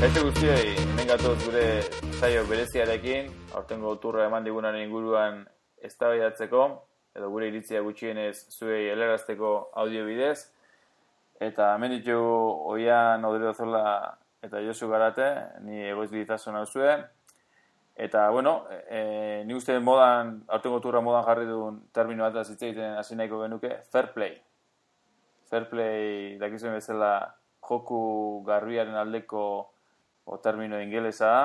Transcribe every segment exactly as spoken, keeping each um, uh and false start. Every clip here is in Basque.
Kaixo guztioi, hemen gatoz gure saio bereziarekin, aurtengo turra eman digunan inguruan eztabaidatzeko, edo gure iritzia gutxienez zuei helarazteko audio bidez, eta hemen ditugu Oian Odriozola eta Josu Garate, ni egoiz biditasun hau zuen, eta, bueno, e, ni uste modan, aurtengo turra modan jarri duen termino bat hitz egiten hasi nahiko genuke, fair play. Fair play, dakizuen bezala, joku garbiaren aldeko o termino ingelesa da,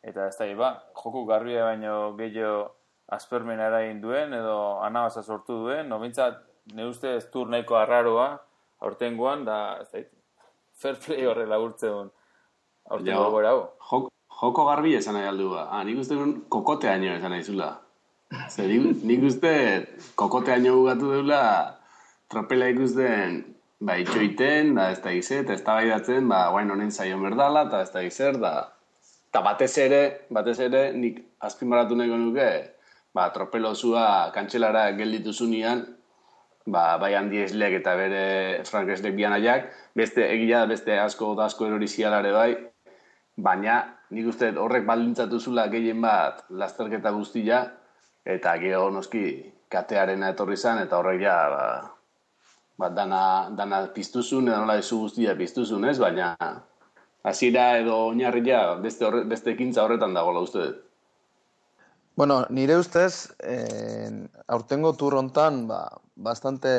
eta ez da, ba, joku garbia baino gehiago aspermen erain duen, edo anabaza sortu duen, no bintzat, ne uste ez tur nahiko arraroa, aurtengoan, da, ez da, fair play horrela urtzeun, aurtengo gora hau. Jok, joko garbi esan nahi aldu ba. Ah, nik uste duen kokote haino esan nahi zula. Zer, nik uste kokote haino gugatu deula, tropela ikusten, ba, itxoiten, da ez da ize, eta ez da baidatzen, ba, guain honen zaion berdala, eta ez da izer, da... Eta batez ere, batez ere, nik azpimarratu nahiko nuke, ba, tropelozua kantxelara gelditu zunean, ba, bai Handi Eslek eta bere Frank Eslek bianaiak, beste, egia beste asko da asko erori zialare bai, baina nik uste horrek baldintzatu zula gehien bat lasterketa guztia, eta gero noski katearena etorri zan, eta horrek ja, ba, ba, dana, dana piztuzun, edo nola ezu guztia piztuzun, ez? Baina hasiera edo oinarria beste, horre, beste ekintza horretan dagoela uste dut. Bueno, nire ustez, eh, aurtengo tur hontan, ba, bastante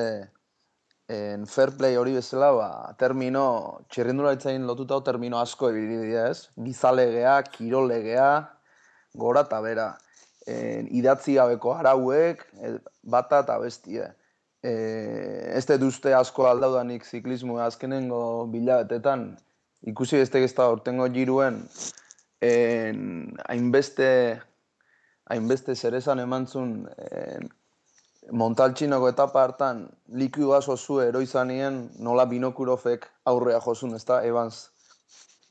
en fair play hori bezala, ba, termino, txirrindularitzain lotutako termino asko ibili dira, ez? Gizalegea, kirolegea, gora eta bera. Eh, idatzi gabeko arauek, bata eta bestie. Eh, ez dut uste asko aldaudanik ziklismoa azkenengo bilabetetan, ikusi beste gezta aurtengo giruen, hainbeste hainbeste zerezan emantzun eh, Montaltxinoko etapa hartan likidu aso zu eroizanien nola Binokurofek aurrea josun, ez da, Evans,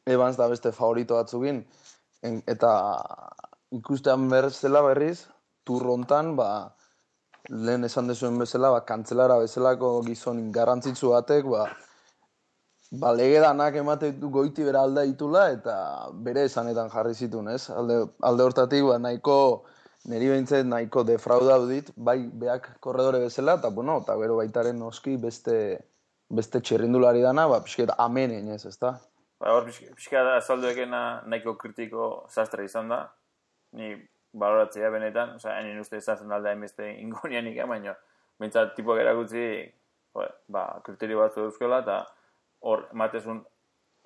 Evans da beste favorito batzugin, en, eta ikustean berzela berriz, turrontan, ba, lehen esan dezuen bezala, ba, kantzelara bezalako gizon garrantzitsu batek, ba, ba, lege danak emate goiti bera alda ditula, eta bere esanetan jarri zituen, ez? Alde, alde hortatik, ba, nahiko, niri behintzet nahiko defraudau dit, bai beak korredore bezala, eta, bueno, eta gero baitaren noski beste, beste txerrindulari dana, ba, pixket amenen, ez, ez da? Ba, hor, pixka da, azalduekena nahiko kritiko sastra izan da, ni baloratzea benetan, osea, hain uste ezazen alda hainbeste ingonianik, baina, bintzat tipuak erakutzi, ba, kriterio batzu euskela, eta hor, ematezun,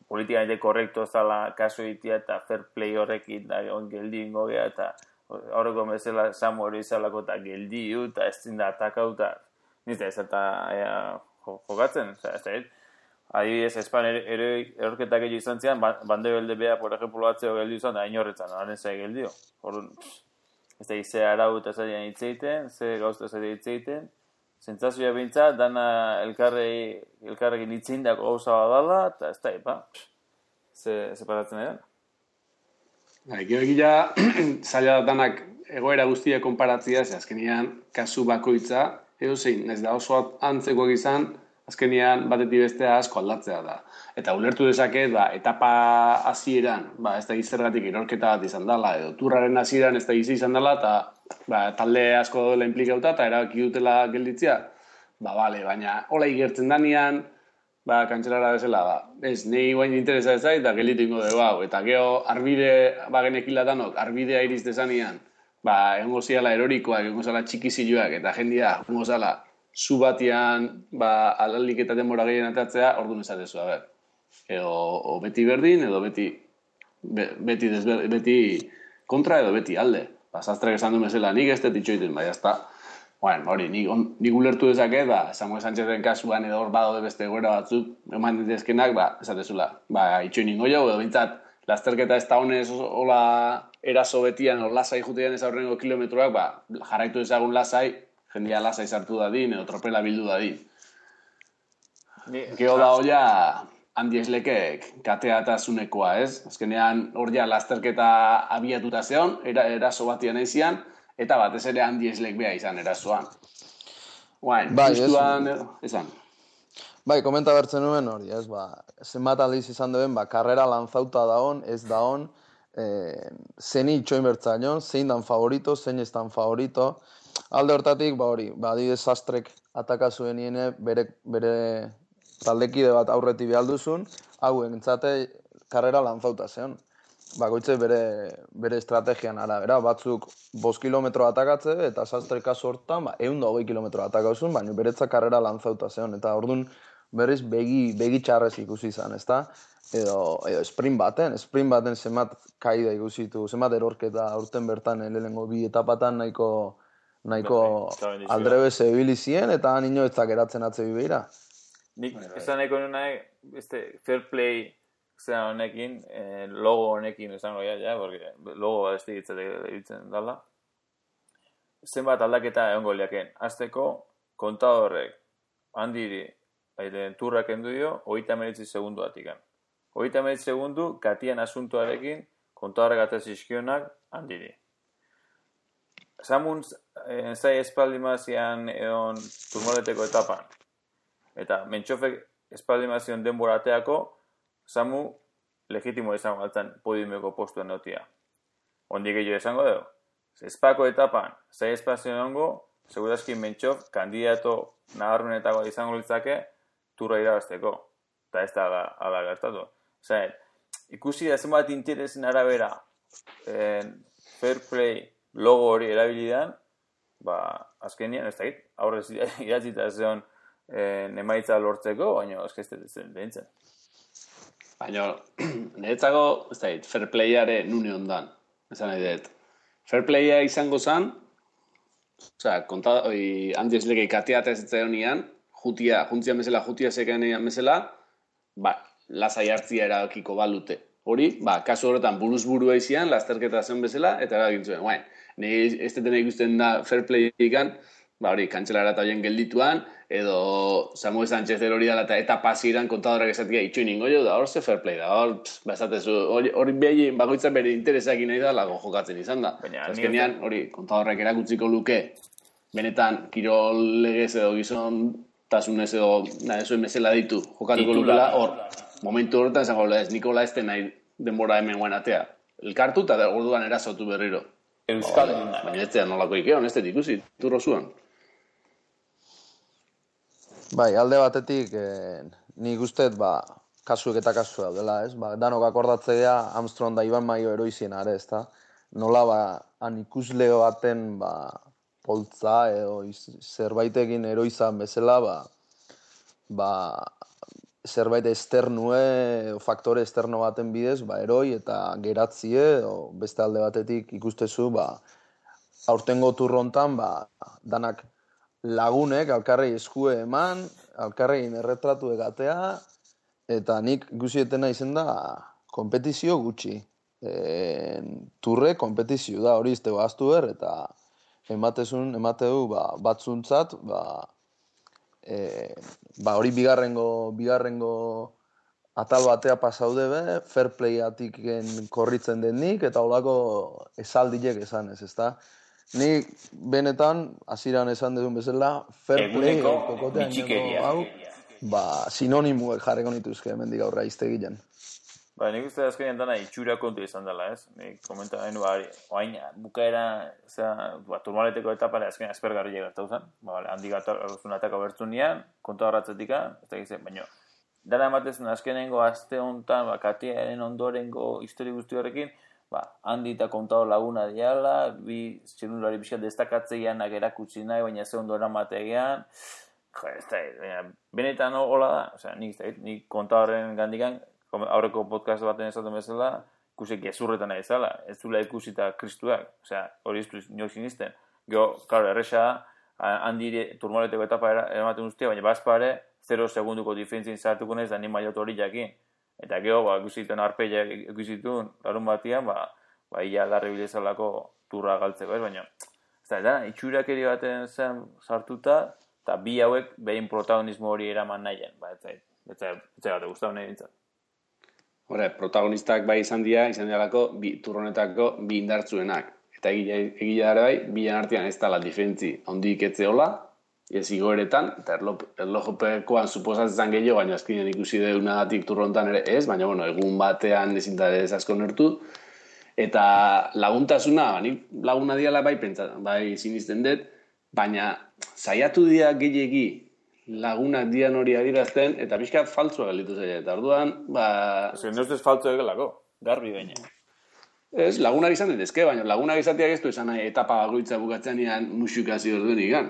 politikamente korrekto zala kaso itia eta fair play horrekin, da, on geldi ingo gea, eta horreko bezala Samu hori izalako eta geldi hu, eta ez zinda atakau, eta nizte ez eta jokatzen, ez da, adibidez, Espan erorketak egin izan zian, bande belde beha, por ejemplo, batzeo geldi izan, da, inorretzan, haren zai geldio. Horren, ez da, ze arau eta zailan hitzeiten, ze gauzta zailan hitzeiten, sentsazioa bintza, dana elkarrei, elkarrekin hitzeindako gauza badala, eta ez da, epa, ze separatzen edan. Gero egia, zaila danak egoera guztia konparatzia, ze azkenian kasu bakoitza, edo zein, ez da oso antzekoak izan, azkenian batetik bestea asko aldatzea da. Eta ulertu dezaket, ba, etapa hasieran, ba, ez da gizergatik erorketa bat izan dela, edo turraren hasieran ez da gizi izan dela, eta ba, talde asko dela implikauta, eta erabaki dutela gelditzea, ba, bale, baina hola igertzen danean, ba, kantxelara bezala, ba, ez, nahi guain interesa ez zait, eta gelditu ingo dugu hau, eta geho, arbide, ba, genekilatanok, arbidea iriz dezanean, ba, egongo ziala erorikoak, egongo zala txikiziloak, eta jendia, egongo zala, zu batian, ba, alalik eta denbora gehien atatzea, orduan esatezu, a ber. Edo, o beti berdin, edo beti, be, beti, desber, beti kontra, edo beti alde. Ba, zastrak esan du mesela, nik ez dut itxoiten, bai, jazta. Bueno, hori, nik, on, nik ulertu dezaket, ba, Samuel Sánchezen kasuan edo hor badaude beste egoera batzuk, eman ditezkenak, ba, esatezula, ba, itxoin ingo jau, edo bintzat, lasterketa ez da honez, hola, eraso betian, hor lasai jutean ez aurrengo kilometroak, ba, jarraitu ezagun lasai, jendia lasai sartu dadin, edo tropela bildu dadin. Gero da hoia, Handi Eslekek katea eta zunekoa, ez? Azkenean hor ja lasterketa abiatuta zeon, era, eraso batian eizian, eta batez ere Handi Eslek beha izan erasoan. Guain, bai, justuan, esan. Bai, komenta bertzen nuen hori, ez, ba, zenbat aldiz izan duen, ba, karrera lanzauta daon, ez daon, eh, zeni itxoin bertzaion, zein dan favorito, zein ez dan favorito. Alde hortatik, ba hori, ba, adibidez Sastrek ataka zuen niene, bere, bere taldekide bat aurreti behalduzun, hau entzate karrera lanzauta zeon. Bakoitze bere, bere estrategian arabera, batzuk bost kilometro atakatze, eta Sastre kasu hortan, ba, ehun eta hogei kilometro atakauzun, baina beretzak karrera lanzauta zeon, eta orduan berriz begi, begi txarrez ikusi izan, ezta? Edo, edo sprint baten, sprint baten zenbat kaida ikusitu, zenbat erorketa urten bertan lehenengo bi etapatan nahiko nahiko aldrebez ebili zien, eta han inoetzak eratzen atze bibeira. Nik esan nahiko nahi, este, fair play zera honekin, eh, logo honekin esango ja, ja, porque logo bat estigitzen ditzen dala. Zenbat aldaketa egongo liaken. Azteko, kontadorrek handiri aire, turrak endu dio, hogeita hemeretzi segundu atikan. hogeita hemeretzi segundu, katian asuntoarekin, kontadorrek atezizkionak handiri. Samun eh, zai espaldi mazian egon turmoleteko etapan. Eta mentxofek espaldi mazion denbora ateako, Samu legitimo izango altzen podiumeko postuen notia. Ondik gehiago esango dugu. Espako etapan, zai espazio ongo, segurazki mentxof, kandidato nabarmenetako izango litzake, turra irabazteko. Eta ez da ala gertatu. Zain, ikusi da zenbat interesin arabera eh, fair play logo hori erabilidan, ba, azkenian ez da git, aurrez iratzita zeon eh, emaitza lortzeko, baina eskazte zen behintzen. Baina, niretzako, ez da, fair playare nune ondan. Esan nahi dut. Fair playa izango zan, osea, konta, oi, handi esleke kateata ez zitzaion nian, jutia, juntzian bezala, jutia zekaen bezala, ba, lasai hartzia erabakiko balute. Hori, ba, kasu horretan buruz burua izian, lasterketa zen bezala, eta eragintzuen. Baina, nire ez deten ikusten da fair play ikan, ba, hori, kantzelara eta hoien geldituan, edo Samuel Sánchez hori dala eta eta pasiran kontadorak esatia itxoin ingo jo, da hor ze fair play da, hor, bazatezu, hori, hori behi bakoitzak bere interesak nahi da, lago jokatzen izan da. Azkenean, hori, kontadorrak erakutziko luke, benetan, kirol legez edo gizon, tasunez edo, nahi zuen bezala ditu, jokatuko lukela, hor, momentu horretan esango ez, Nikola ez nahi denbora hemen guen atea. Elkartu eta orduan erazotu berriro. Euskal. Baina ez zean nolako ikeon, ez dut ikusi, turro zuen. Bai, alde batetik, eh, nik usteet, ba, kasuek eta kasu daudela, ez? Ba, danok akordatzea Armstrong da Iban Maio eroizien are, ez da? Nola, ba, han ikusleo baten, ba, poltza edo zerbaitekin eroizan bezala, ba, ba, zerbait esternue, faktore esterno baten bidez, ba, eroi eta geratzie, edo beste alde batetik ikustezu, ba, aurtengo turrontan, ba, danak lagunek alkarrei eskue eman, alkarrein erretratu egatea, eta nik ikusietena izen da kompetizio gutxi. E, turre kompetizio da, hori iztego aztu ber, eta ematezun, emateu ba, batzuntzat, ba, e, ba, hori bigarrengo, bigarrengo atal batea pasaude be, fair playatik korritzen denik, eta holako esaldiek esan ez, ezta? Ni benetan, hasieran esan duzun bezala, fair play, kokotean nengo hau, ba, sinonimuek jarreko nituzke hemendik aurra iztegilen. Ba, nik uste azkenean dana itxura kontu izan dela, ez? Nik komenta nahi bari, oain, bukaera, zera, ba, turmaleteko etapare azkenean aspergarri gertatu zen, ba, bale, handi gatzun ataka bertzun nian, konta horratzetika, ez da gizien, baina, dara ematezen azkenengo aste honetan, ba, katiaren ondorengo histori guzti horrekin, ba, handi eta kontado laguna diala, bi txelulari bizkat destakatzeianak erakutsi nahi, baina ze ondo eramategean, jo, ez da, baina, benetan hola da, osea, nik, ez da, nik kontadoren gandikan, aurreko podcast baten esaten bezala, ikusik gezurretan nahi zala, ez zula ikusita kristuak, osea, hori iztu nioik sinisten. Gero, klaro, erresa, handi turmoleteko etapa eramaten guztia, baina bazpare, zero segunduko diferentzien zartuko nahiz da ni mailot hori jakin. Eta gero, ba, ikusiten arpeia ikusitun, larun batian, ba, ba, ia larri bilezalako turra galtzeko, ez, baina, ez da, itxurakeri baten zen sartuta, eta bi hauek behin protagonismo hori eraman nahien, ba, ez zait, ez zait, ez zait bat guztau nahi bintzat. Hore, protagonistak bai izan dira, izan dialako, bi, turronetako bi indartzuenak. Eta egia ere bai, bilan artean ez dala diferentzi ondik etzeola, ez igoeretan, eta erlojopekoan suposatzen gehiago, baina azkenean ikusi deunagatik turrontan ere ez, baina bueno, egun batean ezinta ez asko nertu. Eta laguntasuna, nik laguna diala bai pentsa, bai sinisten dut, baina saiatu dira gehiegi lagunak dian hori adirazten, eta pixkat faltzua galitu zaila. Eta orduan, ba... Ez que neustez faltzua egelako, garbi baina. Ez, lagunak izan ditezke, baina lagunak izateak ez du esan nahi etapa bakoitza bukatzean ian musikazio orduen igan.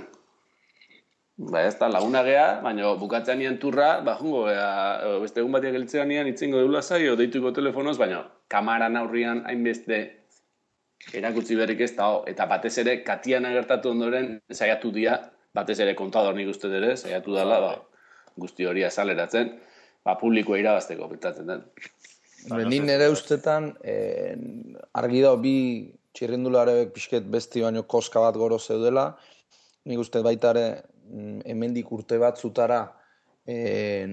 Ba ez da, lagunak gea, baina bukatzean ian turra, ba jungo gea, beste egun batiak geltzean ian itzengo deula zaio, deituko telefonoz, baina kamaran aurrian hainbeste erakutsi berrik ez da, eta batez ere, katian agertatu ondoren, saiatu dia, batez ere kontador nik uste ere, saiatu dela, ba, guzti hori azaleratzen, ba, publikoa irabazteko betatzen den. Nik nire ustetan, eh, argi da bi txirrindularebek pixket besti baino koska bat goro zeudela, nik uste baita ere hemendik urte batzutara eh,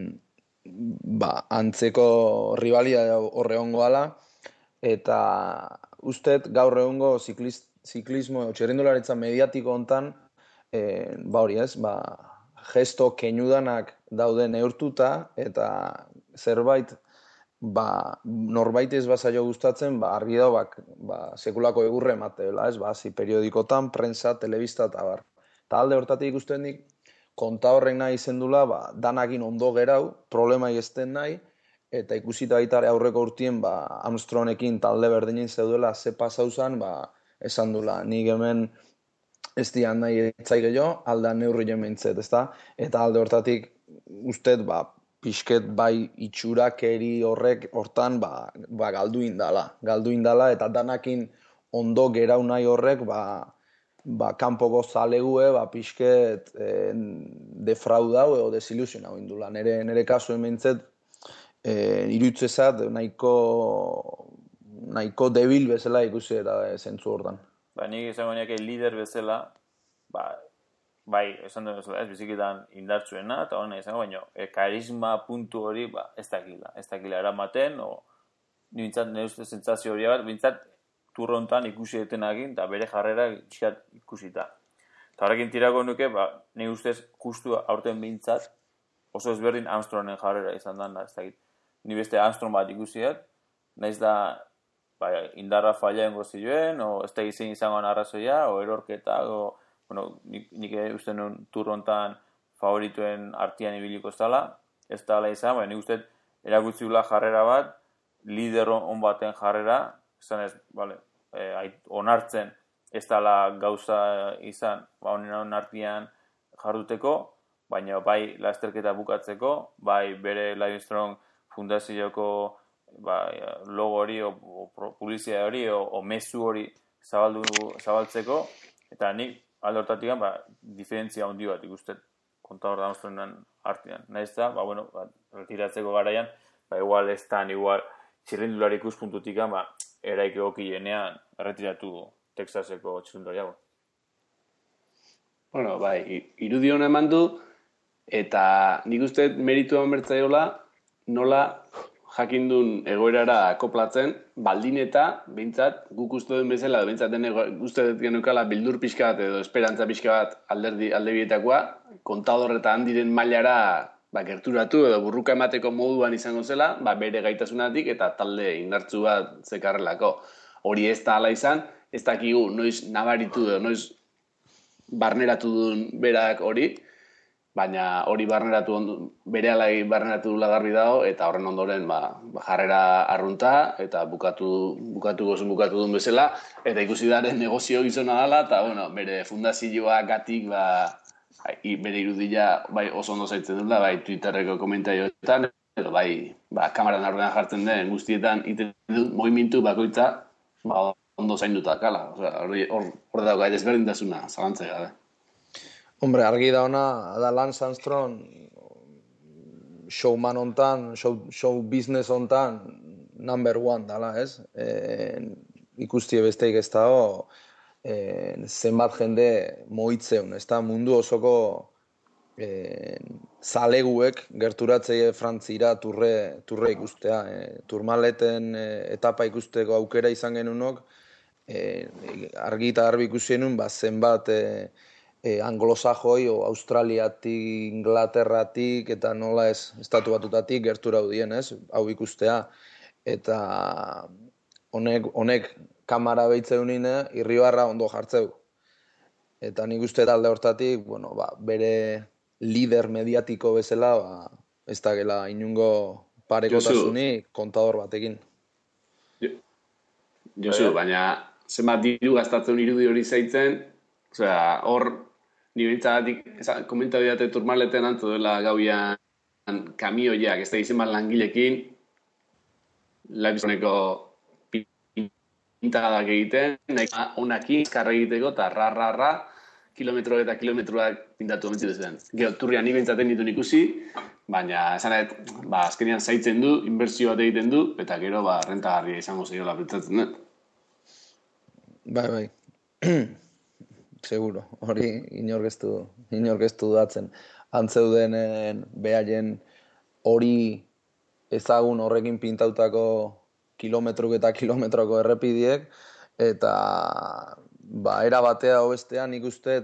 ba, antzeko ribalia horre hongoala, eta usteet gaur egungo zikliz, ziklismo txirrindularitza mediatiko hontan, eh, ba hori ez, ba, gesto keinudanak daude neurtuta, eta zerbait ba, norbait ez bazaio gustatzen, ba, argi da, ba, ba, sekulako egurre emateela, ez, ba, zi periodikotan, prensa, telebista eta bar. Eta alde hortatik ikusten nik, konta horrek nahi izendula, ba, danakin ondo gerau, problemai ezten nahi, eta ikusita baitare aurreko urtien, ba, Armstrongekin talde berdinin zeudela ze pasauzan, ba, esan dula, nik hemen ez dian nahi etzaik jo, aldean neurri jementzet, ezta? Eta alde hortatik, usted, ba, pixket bai itxurakeri horrek hortan ba, ba galdu indala. Galdu indala eta danakin ondo gerau nahi horrek ba, ba kanpoko zalegue ba, pixket eh, defraudau edo desilusionau indula. Nere, nere kasu hementzet eh, irutzezat nahiko, nahiko debil bezala ikusi era zentzu hortan. Ba, nik izango niake lider bezala, ba, bai, esan duen ez, bizikitan indartzuena, eta hori nahi izango, baina e, karisma puntu hori, ba, ez dakila. Ez dakila eramaten, o, nintzat, nire uste sentsazio hori bat, bintzat, turrontan ikusi detenagin, eta bere jarrera txikat ikusita. Eta horrekin tirako nuke, ba, nire ustez, justu aurten bintzat, oso ezberdin Armstrongen jarrera izan da, ez dakit. Ni beste Armstrong bat ikusiat, nahiz da, ba, indarra falla engo zioen, o ez da izan izango arrazoia, o erorketa, o, bueno, nik, nik uste nuen turrontan favorituen artian ibiliko zala, ez da ala izan, baina nik uste erakutziula jarrera bat, lider on baten jarrera, izan ez, vale, eh, onartzen ez dala gauza izan, ba, honen artian jarduteko, baina bai lasterketa bukatzeko, bai bere Livestrong fundazioko ba, logo hori, o, o publizia hori, o, o mezu hori zabaldu, zabaltzeko, eta nik alde hortatik, ba, diferentzia handi bat ikustet kontador da Armstrongen artean. Nahiz da, ba, bueno, ba, retiratzeko garaian, ba, igual ez tan, igual txirrindulari ikuspuntutik, ba, eraik egokienean erretiratu Texaseko txirrindulariago. Bueno, bai, irudi hona eman du, eta nik uste meritu eman bertzaiola, nola jakindun egoerara koplatzen, baldin eta, behintzat, guk uste duen bezala, behintzat uste dut genukala bildur pixka bat edo esperantza pixka bat alderdi, alde bietakoa, kontador eta handiren mailara ba, gerturatu edo burruka emateko moduan izango zela, ba, bere gaitasunatik eta talde indartzu bat zekarrelako. Hori ez da ala izan, ez dakigu noiz nabaritu edo, noiz barneratu duen berak hori, baina hori barneratu bere alai barneratu dula garbi dago, eta horren ondoren ba, jarrera arrunta, eta bukatu, bukatu gozun bukatu duen bezala, eta ikusi daren negozio gizona dela, eta bueno, bere fundazioa gatik, ba, bere irudia bai, oso ondo zaitzen dula, bai Twitterreko komentaioetan, edo bai, ba, kamaran aurrean jartzen den guztietan, iten dut, movimentu bakoitza, ba, ondo zainduta kala, hori hor, hor dago, desberdintasuna, zalantzea gabe. Hombre, argi da ona, da Lance Armstrong showman hontan, show, show business hontan number one dala, ez? E, ikustie besteik ez dago, e, zenbat jende moitzeun, ez da? Mundu osoko e, zaleguek gerturatzei Frantzira turre, turre ikustea. E, turmaleten e, etapa ikusteko aukera izan genunok, e, argi eta garbi ikusi genuen, ba, zenbat... E, e, anglosajoi o Australiatik, Inglaterratik eta nola ez estatu batutatik gertura udien, ez? Hau ikustea. Eta honek, honek kamara behitzeunine irribarra ondo jartzeu. Eta nik uste talde hortatik, bueno, ba, bere lider mediatiko bezala, ba, ez da gela inungo parekotasunik kontador batekin. Josu, baina zenbat diru gastatzen irudi hori zaitzen, osea, hor, ni bintzagatik, komenta bidate turmaleten antzu dela gauian kamioiak, ez da izen bat langilekin, Laibizoneko pintadak egiten, nahi onakin, karra egiteko, eta ra-ra-ra, kilometro eta kilometroak pintatu omentzitu zen. Gero, turrian ni bintzaten ditun ikusi, baina esan ba, azkenean zaitzen du, inbertsio bat egiten du, eta gero, ba, rentagarria izango zeiola pentsatzen dut. Bai, bai. Seguro, hori inorkeztu, inorkeztu datzen. Antzeudenen behaien hori ezagun horrekin pintautako kilometruk eta kilometroko errepidiek, eta ba, era batea hobestean nik uste,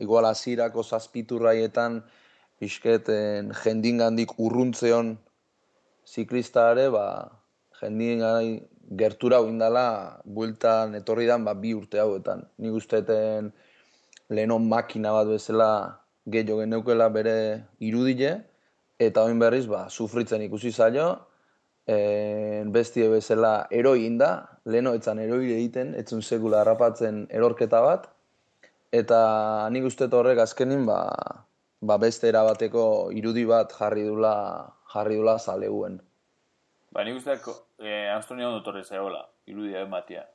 igual hasierako zazpiturraietan pixketen jendingandik urruntzeon ziklistare, ba, jendingandik gertura hoindala bueltan etorridan ba, bi urte hauetan. Nik usteten lehenon makina bat bezala gehiago geneukela bere irudile, eta oin berriz ba, sufritzen ikusi zaio, e, bestie bezala eroi inda, leheno etzan eroi egiten, etzun sekula harrapatzen erorketa bat, eta nik uste horrek azkenin ba, ba beste erabateko irudi bat jarri dula, jarri dula zaleguen. Ba, nik uste eh, Armstrongi ondo torre zaiola, irudia ematia.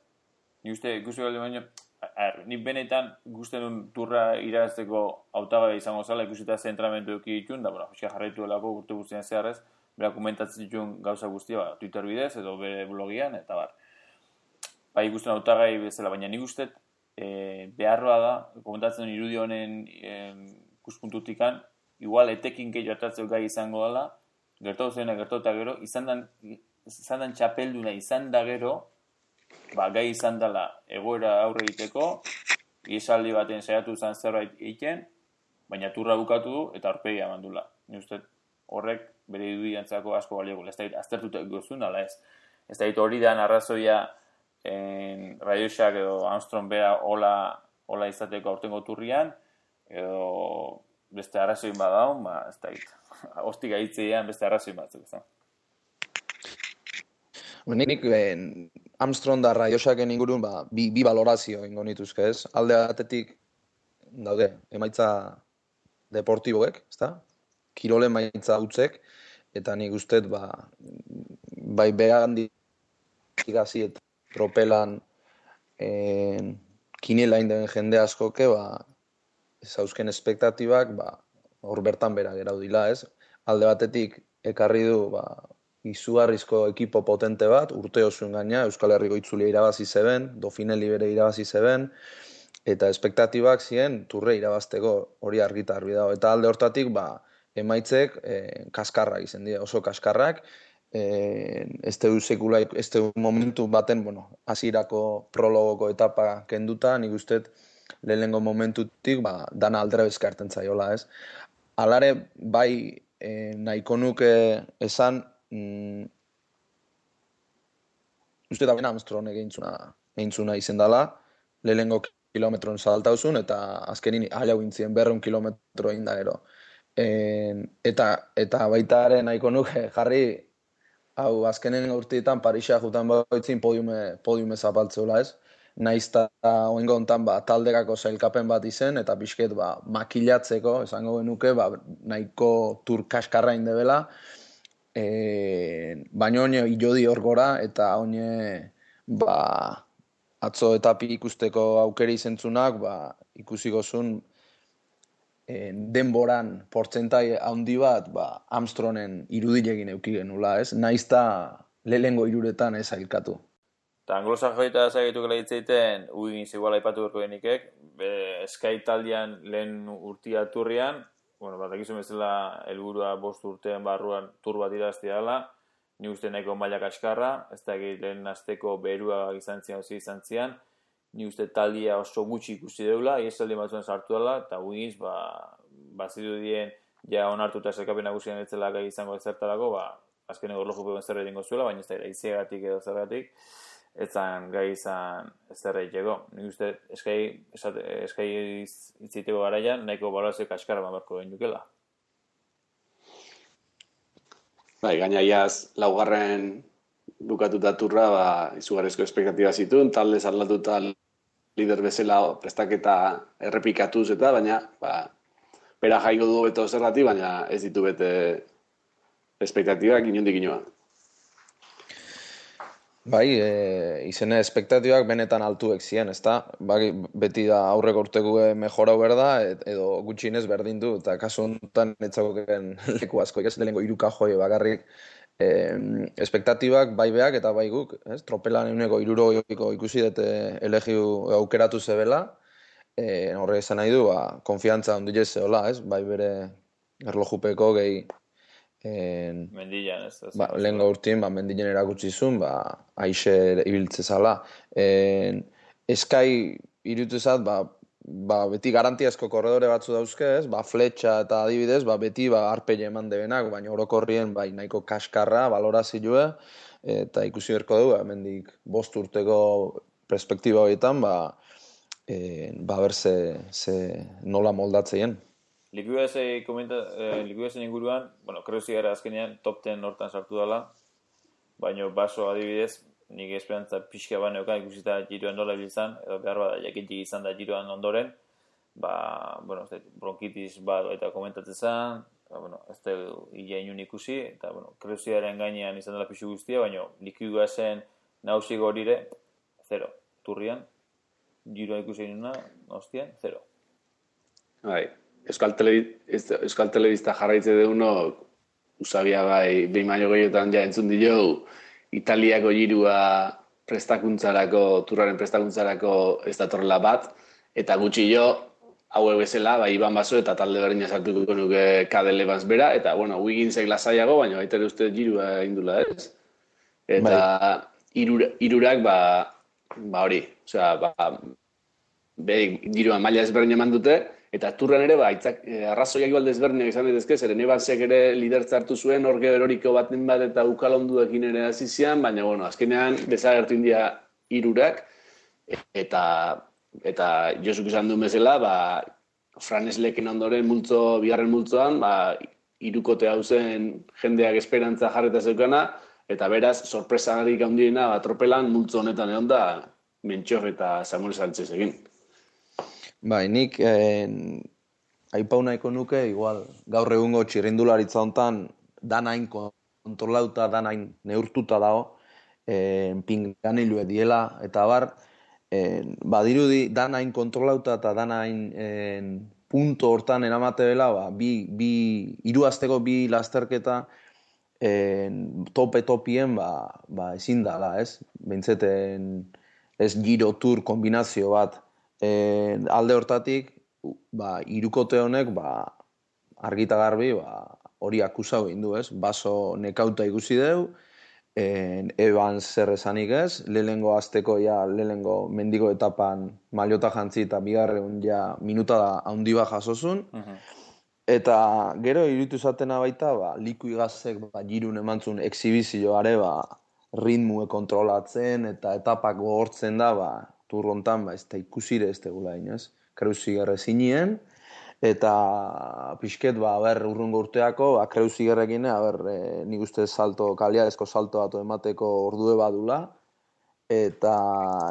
Nik uste ikusi galde baino, er, nik benetan ikusten duen turra irazteko hautagai izango zala, ikusita zentramentu eki ditun, da, bueno, fiska jarraitu delako urte guztien zeharrez, bera komentatzen dituen gauza guztia, ba, Twitter bidez edo bere blogian, eta bar. Ba, ikusten hautagai bezala, baina nik uste eh, beharroa da, komentatzen duen irudi honen eh, ikuspuntutikan, igual etekin gehiago hartatzeu gai izango dela, gertatu zeuna, gertatu eta gero, izan dan, izan dan txapelduna izan da gero, ba, gai izan dela egoera aurre egiteko, ihesaldi baten saiatu zen zerbait egiten, baina turra bukatu du eta aurpegia mandula. Ni uste horrek bere irudiantzako asko balioko. Ez da aztertuta gozun dela ez. Ez da hori da arrazoia Radiosak edo Armstrong bera hola, hola izateko aurtengo turrian, edo beste arrazoin badaun, ba, ez da hit. Hostik aitzean beste arrazoin batzuk, ez da. Nik ben, Armstrong da Radiosaken ingurun ba, bi, bi valorazio ingo nituzke, ez? Alde batetik daude, emaitza deportiboek, ezta? Kirole emaitza utzek, eta nik ustez ba, bai behandik hasi eta tropelan en, kinela indeben jende askoke, ba, zauzken espektatibak, ba, hor bertan bera geraudila, ez? Alde batetik ekarri du, ba, izugarrizko ekipo potente bat, urte osuen gaina, Euskal Herriko itzulia irabazi zeben, Dauphinelli bere irabazi zeben, eta espektatibak ziren turre irabazteko hori argita argi dago. Eta alde hortatik, ba, emaitzek eh, kaskarrak izan dira, oso kaskarrak, eh, ez du sekula, ez du momentu baten, bueno, hasierako prologoko etapa kenduta, nik usteet lehenengo momentutik, ba, dana aldera bezkarten zaiola, ez? Alare, bai, eh, nahiko nuke esan, Mm, uste da bena Armstrong egintzuna, egintzuna izen dela, lehenengo kilometron saltauzun, eta azkenin halau intzien berreun kilometro indagero. E, eta, eta baita ere nahiko nuke jarri, hau azkenen urteetan Parisa jutan baitzin podiume, podiume zapaltzeula ez. Naizta oingo hontan ba, taldekako zailkapen bat izen, eta pixket ba, makilatzeko, esango genuke, ba, nahiko tur kaskarra indebela, E, baina oine ilodi hor gora, eta oine ba, atzo etapi ikusteko aukeri izentzunak, ba, ikusi gozun e, denboran portzentai handi bat ba, Armstrongen irudilegin euki genula, ez? Naizta lehengo iruretan ez ailkatu. Eta anglosa joita zagetuk lehitzeiten, uigin ziguala ipatu berko genikek, Sky taldean lehen urtia turrian, bueno, bat egizu bezala helburua bost urtean barruan tur bat iraztea dela, ni uste nahiko maila kaskarra, ez da lehen asteko berua izan zian, ozi izan zian, ni uste taldia oso gutxi ikusi deula, iesaldi batzuen sartu dela, eta Wiggins, ba, bazirudien, ja onartuta zelkapen nagusian etzela gai izango ezertarako, ba, azkeneko erlojupeko zer egingo zuela, baina ez da iziagatik edo zergatik, etzan gai izan zer egiteko. Nik uste eskai, eskai itziteko garaian, nahiko balorazio kaskara mamarko egin dukela. Bai, gaina iaz, laugarren bukatuta turra, ba, izugarrizko espektatiba zituen, talde aldatuta lider bezala prestaketa errepikatuz eta, baina, ba, bera jaiko du beto zergatik, baina ez ditu bete espektatibak inondik inoa. Bai, e, izene espektatibak benetan altuek ziren, ezta? Bai, beti da aurreko urteko mejorau berda, edo gutxienez berdin du, eta kasu honetan etzagoken leku asko, ez lehenko hiruka joi bakarrik, e, espektatibak bai beak eta bai guk, ez? Tropelan eguneko hirurogeiko ikusi dute elegiu aukeratu zebela, e, horre esan nahi du, ba, konfiantza ondile zeola, ez? Bai bere erlojupeko gehi En, Mendilan, ez da. Ba, lehen gaurtien, ba, mendilen erakutsi zuen, ba, aixe ibiltze zala. En, eskai irutuzat, ba, ba, beti garantiazko korredore batzu dauzke, ez? Ba, fletxa eta adibidez, ba, beti ba, arpeile eman debenak, baina orokorrien bai, nahiko kaskarra, balorazioa, eta ikusi berko dugu, hemendik bost urteko perspektiba horietan, ba, e, ba, ber ze, ze nola moldatzeien. Likuidesen eh, inguruan, bueno, kreuzi gara azkenean top ten hortan sartu dela, baina baso adibidez, nik esperantza pixka baneokan ikusita giroan nola bilizan, edo behar bada jakintik izan da giroan ondoren, ba, bueno, ez bronkitis bat eta komentatzen zen, ba, bueno, ez da hila inun ikusi, eta, bueno, kreuziaren gainean izan dela pixu guztia, baina likuidesen nausik horire, zero, turrian, giroan ikusi inuna, hostian, zero. Bai. Euskal, Telebi, Euskal Telebista jarraitze deuno, usabia bai, behin baino gehiotan ja entzun dio, Italiako girua prestakuntzarako, turraren prestakuntzarako ez datorrela bat, eta gutxi jo, hauek bezala, bai, Iban Baso eta talde berdina sartuko nuke Cadel Evans bera, eta, bueno, Wigginsek lasaiago, baina baita ere uste girua indula, ez? Eta irura, irurak, ba, ba hori, osea, ba, be, giruan maila ezberdin eman dute, eta turran ere, ba, itzak, eh, arrazoiak igual desberdinak izan daitezke, zeren Evansek ere lidertza hartu zuen, orge eroriko baten bat eta ukalonduekin ere hasi zian, baina, bueno, azkenean desagertu india hirurak eta eta Josuk izan duen bezala, ba, Franesleken ondoren multzo, bigarren multzoan, ba, hirukote hau zen jendeak esperantza jarreta zeukana, eta beraz, sorpresarik handiena, ba, tropelan multzo honetan egon da, Mentxor eta Samuel Sánchez egin. Bai, nik eh, aipau nahiko nuke, igual, gaur egungo txirrindularitza hontan danain kontrolauta, danain neurtuta dago, eh, pinganilue diela, eta bar, eh, badirudi danain kontrolauta eta danain eh, punto hortan eramate dela, ba, bi, bi, hiru asteko bi lasterketa eh, tope-topien, ba, ba, ezin dala, ez? Bintzeten ez giro tur kombinazio bat, E, alde hortatik, ba, hirukote honek ba, argita garbi ba, hori akusau egin du, ez? Baso nekauta ikusi deu, e, Evans zer esanik ez, lehengo azteko ja, lehengo mendiko etapan maliota jantzi eta bigarren ja minuta da haundi bat jasozun, uh-huh. Eta gero iruditu zatena baita, ba, liku igazek ba, girun emantzun exhibizioare ba, ritmue kontrolatzen eta etapak gogortzen da, ba, turrontan, ba, ez da ikusire ez tegula inez. Kreuzigerre zinien, eta pixket, ba, ber, urrungo urteako, ba, Kreuzigerrekin, ber, e, nik uste salto, kaliarezko salto bat emateko ordue badula, eta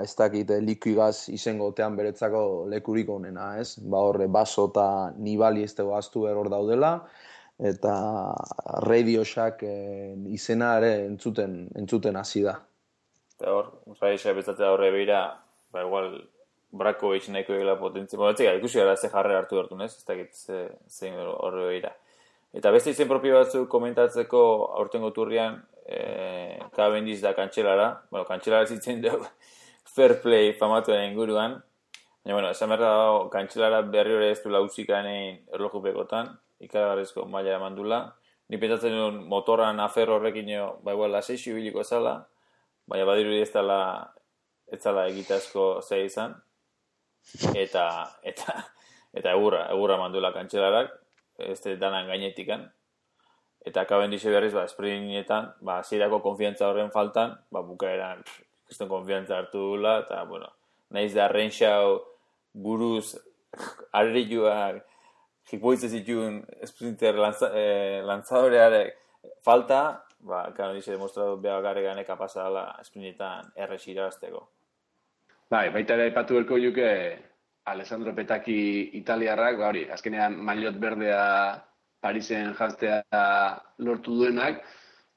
ez dakit likuigaz izango otean beretzako lekurik onena, ez? Ba, horre, Baso eta Nibali ez tego aztu eror daudela, eta Radio Shack e, izena ere entzuten, entzuten hasi da. Eta hor, Radio Shack bezatzea horre behira, ba, igual, brako behitz nahiko egela potentzia. Ba, etxega, ikusi gara ze jarre hartu hartu, ez? Ez dakit zein horre behira. Eta beste izen propio batzuk komentatzeko aurtengo turrian, eh, Cavendish da kantxelara. Bueno, kantxelara zitzen dugu fair play famatuen inguruan. Baina, bueno, esan berda dago, kantxelara berri hori ez du lauzikanein erlojupekotan, ikaragarrizko maila emandula. Ni pentsatzen duen motoran afer horrekin, ba, igual, laseixo biliko ezala, baina badiru ez dela ez zala egitazko zei izan, eta, eta, eta egurra, egurra manduela kantxelarak, ez danan gainetikan, eta Cavendish berriz, ba, sprintetan, ba, zirako konfiantza horren faltan, ba, bukaeran, kriston konfiantza hartu dula, eta, bueno, nahiz da Renshaw buruz, arrilluak, jipoitze zituen sprinter lanza, eh, lanzadorearek falta, ba, Cavendish demostratu behar garregane kapasa dela sprintetan errex irabazteko. Bai, baita ere aipatu berko juke Alessandro Petacchi italiarrak, ba hori, azkenean maillot berdea Parisen janztea lortu duenak,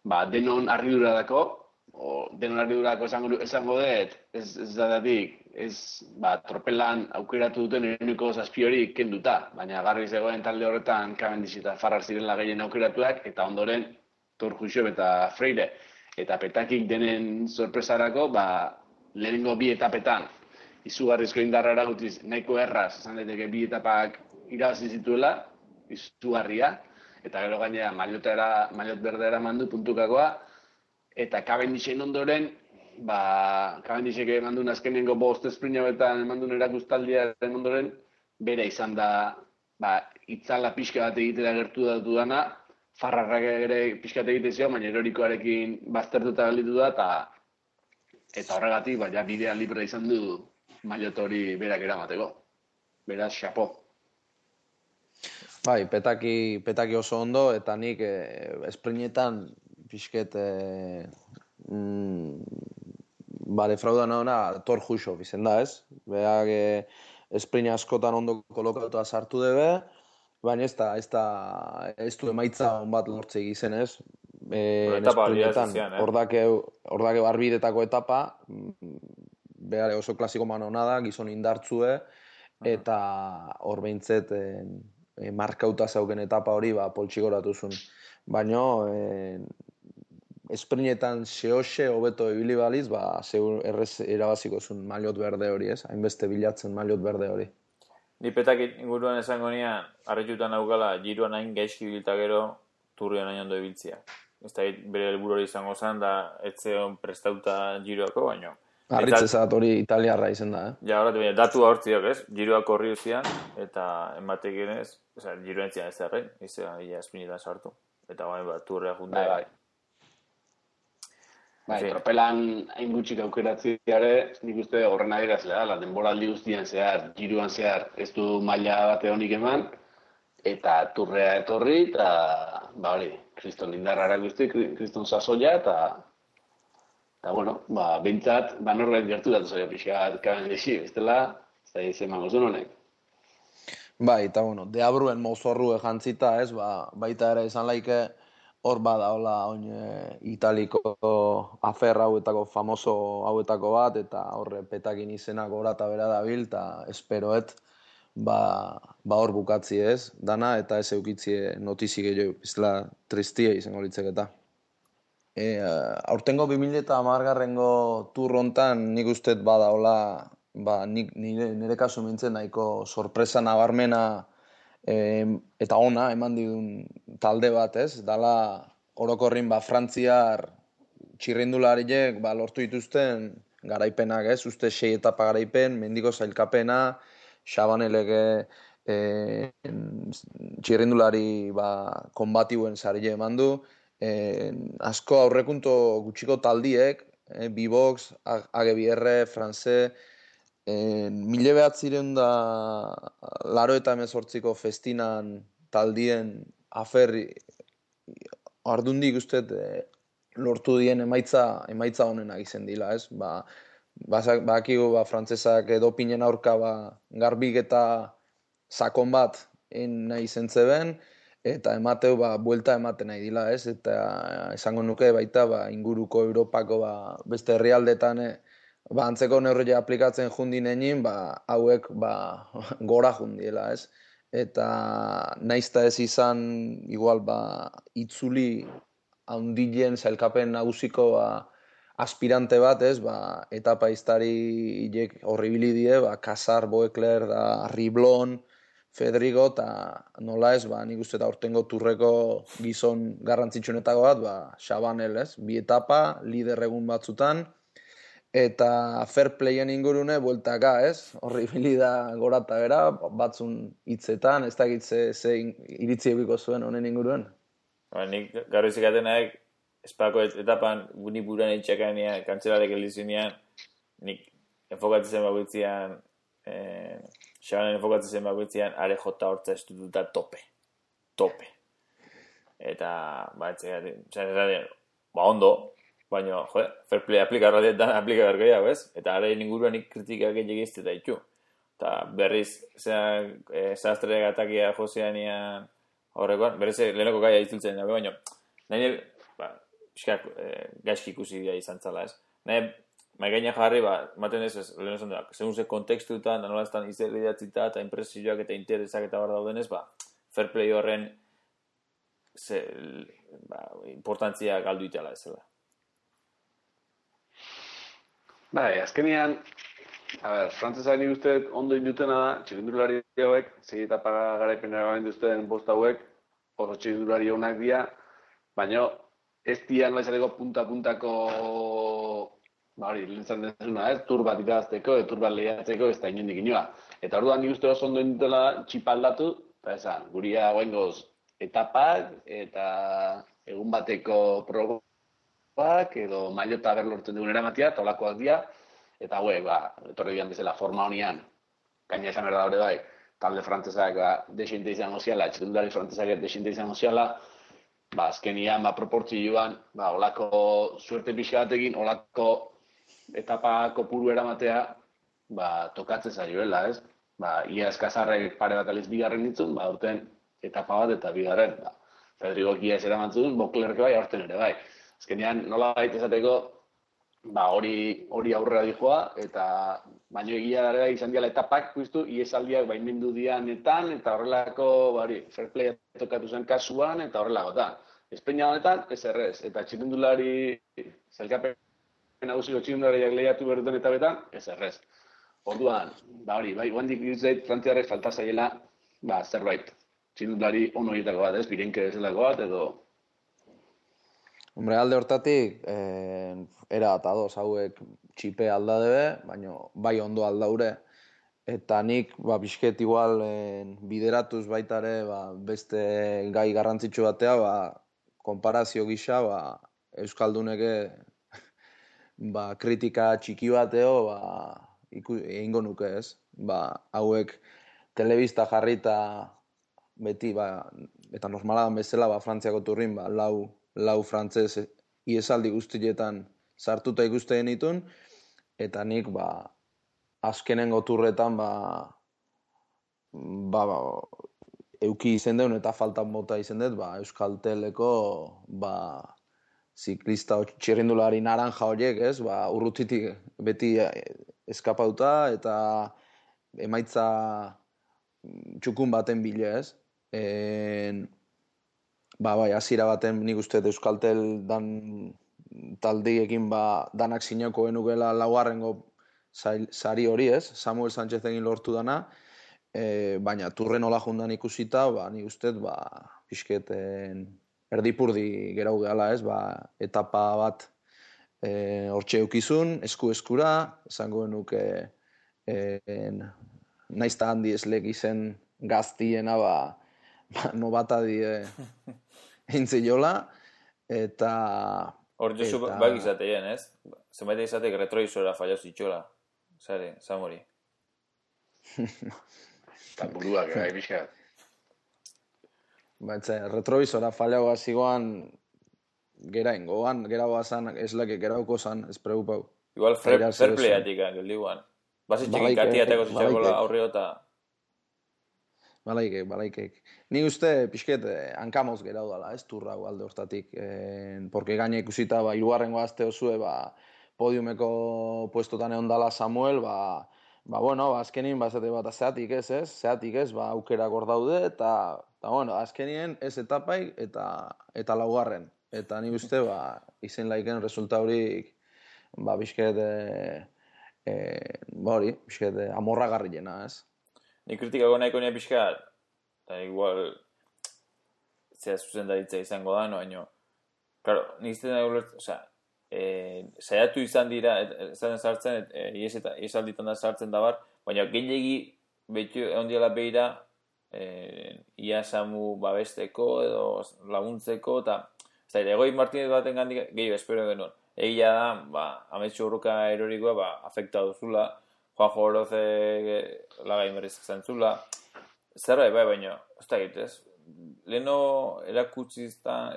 ba, denon harridura dako, o denon harridurako esango, esango dut, ez, ez dadatik, ez, ba, tropelan aukeratu duten ereniko zazpi hori kenduta, baina garbi zegoen talde horretan Cavendish eta Farrar zirela gehien aukeratuak, eta ondoren Thor Hushovd eta Freire, eta Petacchik denen sorpresarako, ba, lehenengo bi etapetan, izugarrizko indarra eragutiz, nahiko erraz, esan daiteke bi etapak irabazi zituela, izugarria, eta gero gainera maillotera, maillot berdera mandu puntukakoa, eta Cavendishen ondoren, ba, Cavendishek emandun azkenengo bost sprint hauetan emandun erakustaldiaren ondoren, bere izan da, ba, itzala pixka bat egitera gertu datu dana, Farrarrak ere pixka bat egite zio, baina erorikoarekin baztertuta gelditu da, eta eta horregatik, ba, ja bidea libre izan du maillot hori berak eramateko. Beraz, xapo. Bai, petaki, petaki oso ondo, eta nik eh, esprinetan pixket eh, mm, ba, defraudan hona Thor Hushovd izen da, ez? Beak eh, esprine askotan ondo kolokatuta sartu debe, baina ez da, ez da, ez du emaitza on bat lortze izen, ez? Eh, esprinetan, ordake, ordake barbidetako etapa, behar oso klasiko manona da, gizon indartzue, eta hor behintzet eh, eh, markauta zauken etapa hori ba, poltsigoratu zuen. Baina eh, esprinetan zehoxe hobeto ibili baliz, ba, zeur errez irabaziko zuen maillot berde hori, ez? Hainbeste bilatzen maillot berde hori. Ni Petacchi inguruan esango nian, harritutan aukala, giroan hain gaizki bilta gero, turrian hain ondo ibiltzia. Ez da, bere helburu hori izango zen, da ez zeon prestauta giroako, baino. Harritzezat hori italiarra izen da, eh? Ja, horretu, baina, datu hortziok, ez? Giroak horri uzian, eta ematek ez, oza, giroen zian ez zerrein, izan, ia espinetan sartu. Eta bain, bat, turrea junte. Bai, bai. Bai, tropelan hain gutxik aukeratziare, nik uste horren adierazlea, la denboraldi guztian zehar, giroan zehar, ez du maila bate honik eman, eta turrea etorri, eta, ba hori, kriston indarrara guzti, kriston sasoia, eta, eta bueno, ba, bintzat, ba norbait gertu datu zaila pixka Cavendishi, bestela, ez da izan mango zuen honek. Bai, eta bueno, deabruen mozorru jantzita, ez, ba, baita ere izan laike, hor bada, hola, oin e, italiko afer hauetako, famoso hauetako bat, eta horre Petackin izenak gora eta bera dabil, eta esperoet, ba, ba hor bukatzi ez, dana, eta ez eukitzie notizi gehiago, bizela tristia izango litzeketa. E, aurtengo bi mila hamargarrengo tur hontan nik ustet bada, hola, ba, nik, nire, nire kasu mintzen nahiko sorpresa nabarmena, E, eta ona eman didun talde bat, ez? Dala orokorrin ba Frantziar txirrindulariek ba lortu dituzten garaipenak, ez? Uste sei etapa garaipen, mendiko zailkapena, Chabanelege e, txirrindulari ba konbatibuen sarile emandu, e, asko aurrekunto gutxiko taldiek, e, B-Box, A G B R, France, mila behatzireun da laro eta hemezortziko festinan taldien afer ardundik uste e, lortu dien emaitza emaitza honenak izen dila, ez? Ba, bakigu ba, frantzesak dopinen aurka ba, garbik eta sakon bat en nahi izen zeben, eta emateu ba, buelta ematen nahi dila, ez? Eta esango nuke baita ba, inguruko Europako ba, beste herrialdetan e, ba, antzeko neurria aplikatzen jundin egin, ba, hauek ba, gora jundiela, ez? Eta naizta ez izan, igual, ba, itzuli haundien zailkapen nagusiko ba, aspirante bat, ez? Ba, etapa iztari hilek horribili die, ba, Casar, Boekler, da, Riblon, Fedrigo, eta nola ez, ba, nik uste eta aurtengo turreko gizon garrantzitsuenetako bat, ba, Chabanel, ez? Bi etapa, lider egun batzutan, eta fair playen ingurune bueltaka, ez? Horri bilida gora eta bera, batzun hitzetan, ez dakit ze, ze iritzi ebiko zuen honen inguruen. Ba, nik gaur izikatenak, espako etapan, nik buruan itxakanean, kantzelarek elizinean, nik enfokatzen bakoitzean, eh, xabanen enfokatzen bakoitzean, are jota hortza estututa tope. Tope. Eta, ba, etxegatik, ba, ondo, baina, jo, fair play aplika radietan aplika bergoi hau, ez? Eta ara inguruan nik kritikak egizte da itxu. Eta berriz, zean, e, sastre gatakia joseanian horrekoan, berriz, lehenoko gaia itzultzen dago, baina, nahi, ba, piskak, e, gaizki ikusi dira izan zala, ez? Nahi, maikaina jarri, ba, maten ez, ez lehen esan da, segun ze kontekstutan, da nola estan izerri datzita, eta impresioak eta interesak eta bar daudenez, ba, fair play horren ze, ba, importantzia galdu itala ez zela. Bai, azkenean, a ber, frantzesak nik uste ondo indutena da, txirindulari hauek, zei etapa garaipenera gaben duzten bost hauek, oso txirindulari honak dira, baina ez dian laizateko punta-puntako, ba hori, lintzan dezuna, ez, tur bat irazteko, tur bat lehiatzeko, ez da inondik inoa. Eta orduan nik uste oso ondo indutela txipaldatu, eta esan, guria guengoz etapak, eta egun bateko progo, edo mailota ber lortzen dugun eramatia, eta olakoak dira, eta hauek, ba, etorri bian bezala forma honian, gaina esan berda hori bai, talde frantzesak ba, desinte izango ziala, txirindulari frantzesak desinte izango ziala, ba, azkenian, ba, proportzioan, ba, olako suerte pixka batekin, olako etapa kopuru eramatea, ba, tokatzen zaioela, ez? Ba, ia eskazarrek pare bat aliz bigarren ditzun, ba, urten etapa bat eta bigarren, ba, Federico Kia ez eramantzun, Boklerke bai, aurten ere bai. Azkenean, nola baita esateko, ba, hori, hori aurrera dijoa, eta baino egia dara izan diala etapak, puztu, iesaldiak baimendu dianetan, eta horrelako, bari, fair play tokatu zen kasuan, eta horrelako, eta Espainia honetan, ez errez, eta txirindulari, zelkapen nagusiko txirindulariak lehiatu beruten eta betan, ez errez. Orduan, ba hori, bai, guandik ditzait, frantziarrek falta zaiela, ba, zerbait, txirindulari ono egitako bat, ez, birenke bezalako bat, edo... Hombre, alde hortatik, eh, era eta ados hauek txipe aldadebe, baina bai ondo aldaure. Eta nik, ba, bisket igual eh, bideratuz baitare, ba, beste gai garrantzitsu batea, ba, konparazio gisa, ba, Euskalduneke ba, kritika txiki bateo, ba, iku, egingo nuke ez. Ba, hauek telebista jarrita beti, ba, eta normaladan bezala, ba, Frantziako turrin, ba, lau, lau frantzez iesaldi guztietan sartuta ikusten ditun, eta nik, ba, azkenengo turretan, ba, ba, ba, euki izen deun eta faltan bota izen dut, ba, Euskalteleko, ba, ziklista txirrindulari naranja horiek, ez, ba, urrutitik beti eskapauta, eta emaitza txukun baten bile, ez. En, ba, bai, hasiera baten nik uste Euskaltel dan taldiekin, ba, danak sinako genukela laugarrengo sari hori, ez, Samuel Sánchez egin lortu dana, e, baina turren hola jundan ikusita, ba, nik uste, ba, pixketen erdipurdi gerau gehala, ez, ba, etapa bat e, hortxe eukizun, esku-eskura, esango genuke e, naizta handi eslek izen gaztiena, ba, ba nobata die entziola, eta... Hor jozu eta... bak izateien, ez? Zenbait izatek retroizora fallaz itxola. Zare, Samori. Eta buruak, gai, pixka. Baitze, retroizora fallagoa zigoan gera ingoan, gera guazan, eslake gerauko zan, ez preocupau. Igual fair playatik, geldiguan. Basitxekin katiateko zitxakola aurriota. Balaikek, balaikek. Ni uste, pixket, hankamoz gerau dala, ez turrau alde hortatik. Eh, porque gaine ikusita, ba, irugarrengo azte osue, ba, podiumeko puestotan egon dala Samuel, ba, ba, bueno, ba, azkenin, ba, zate bat, zeatik ez, ez? Zeatik ez, ba, aukerak hor daude, eta, eta, bueno, azkenien ez etapai, eta, eta laugarren. Eta ni uste, ba, izen laiken resulta horik, ba, pixket, e, e, ba, hori, pixket, amorra garrilena, ez? Ni kritikako nahiko nire pixkat, eta igual zera zuzendaritza izango da, no, baino, claro, nik izten da ulertzen, osea, e, saiatu izan dira, ezan sartzen, e, iesalditan da sartzen da bar, baina gehiagi beti ondiala behira, e, ia Samu babesteko edo laguntzeko, eta ez da, Egoi Martinez baten gandik gehiago espero genuen. Egia da, ba, ametsu urruka erorikoa, ba, afekta duzula, Juanjo Oroze lagai berriz zantzula, zerra bai, baina, ez da egitez, leheno erakutsi izan,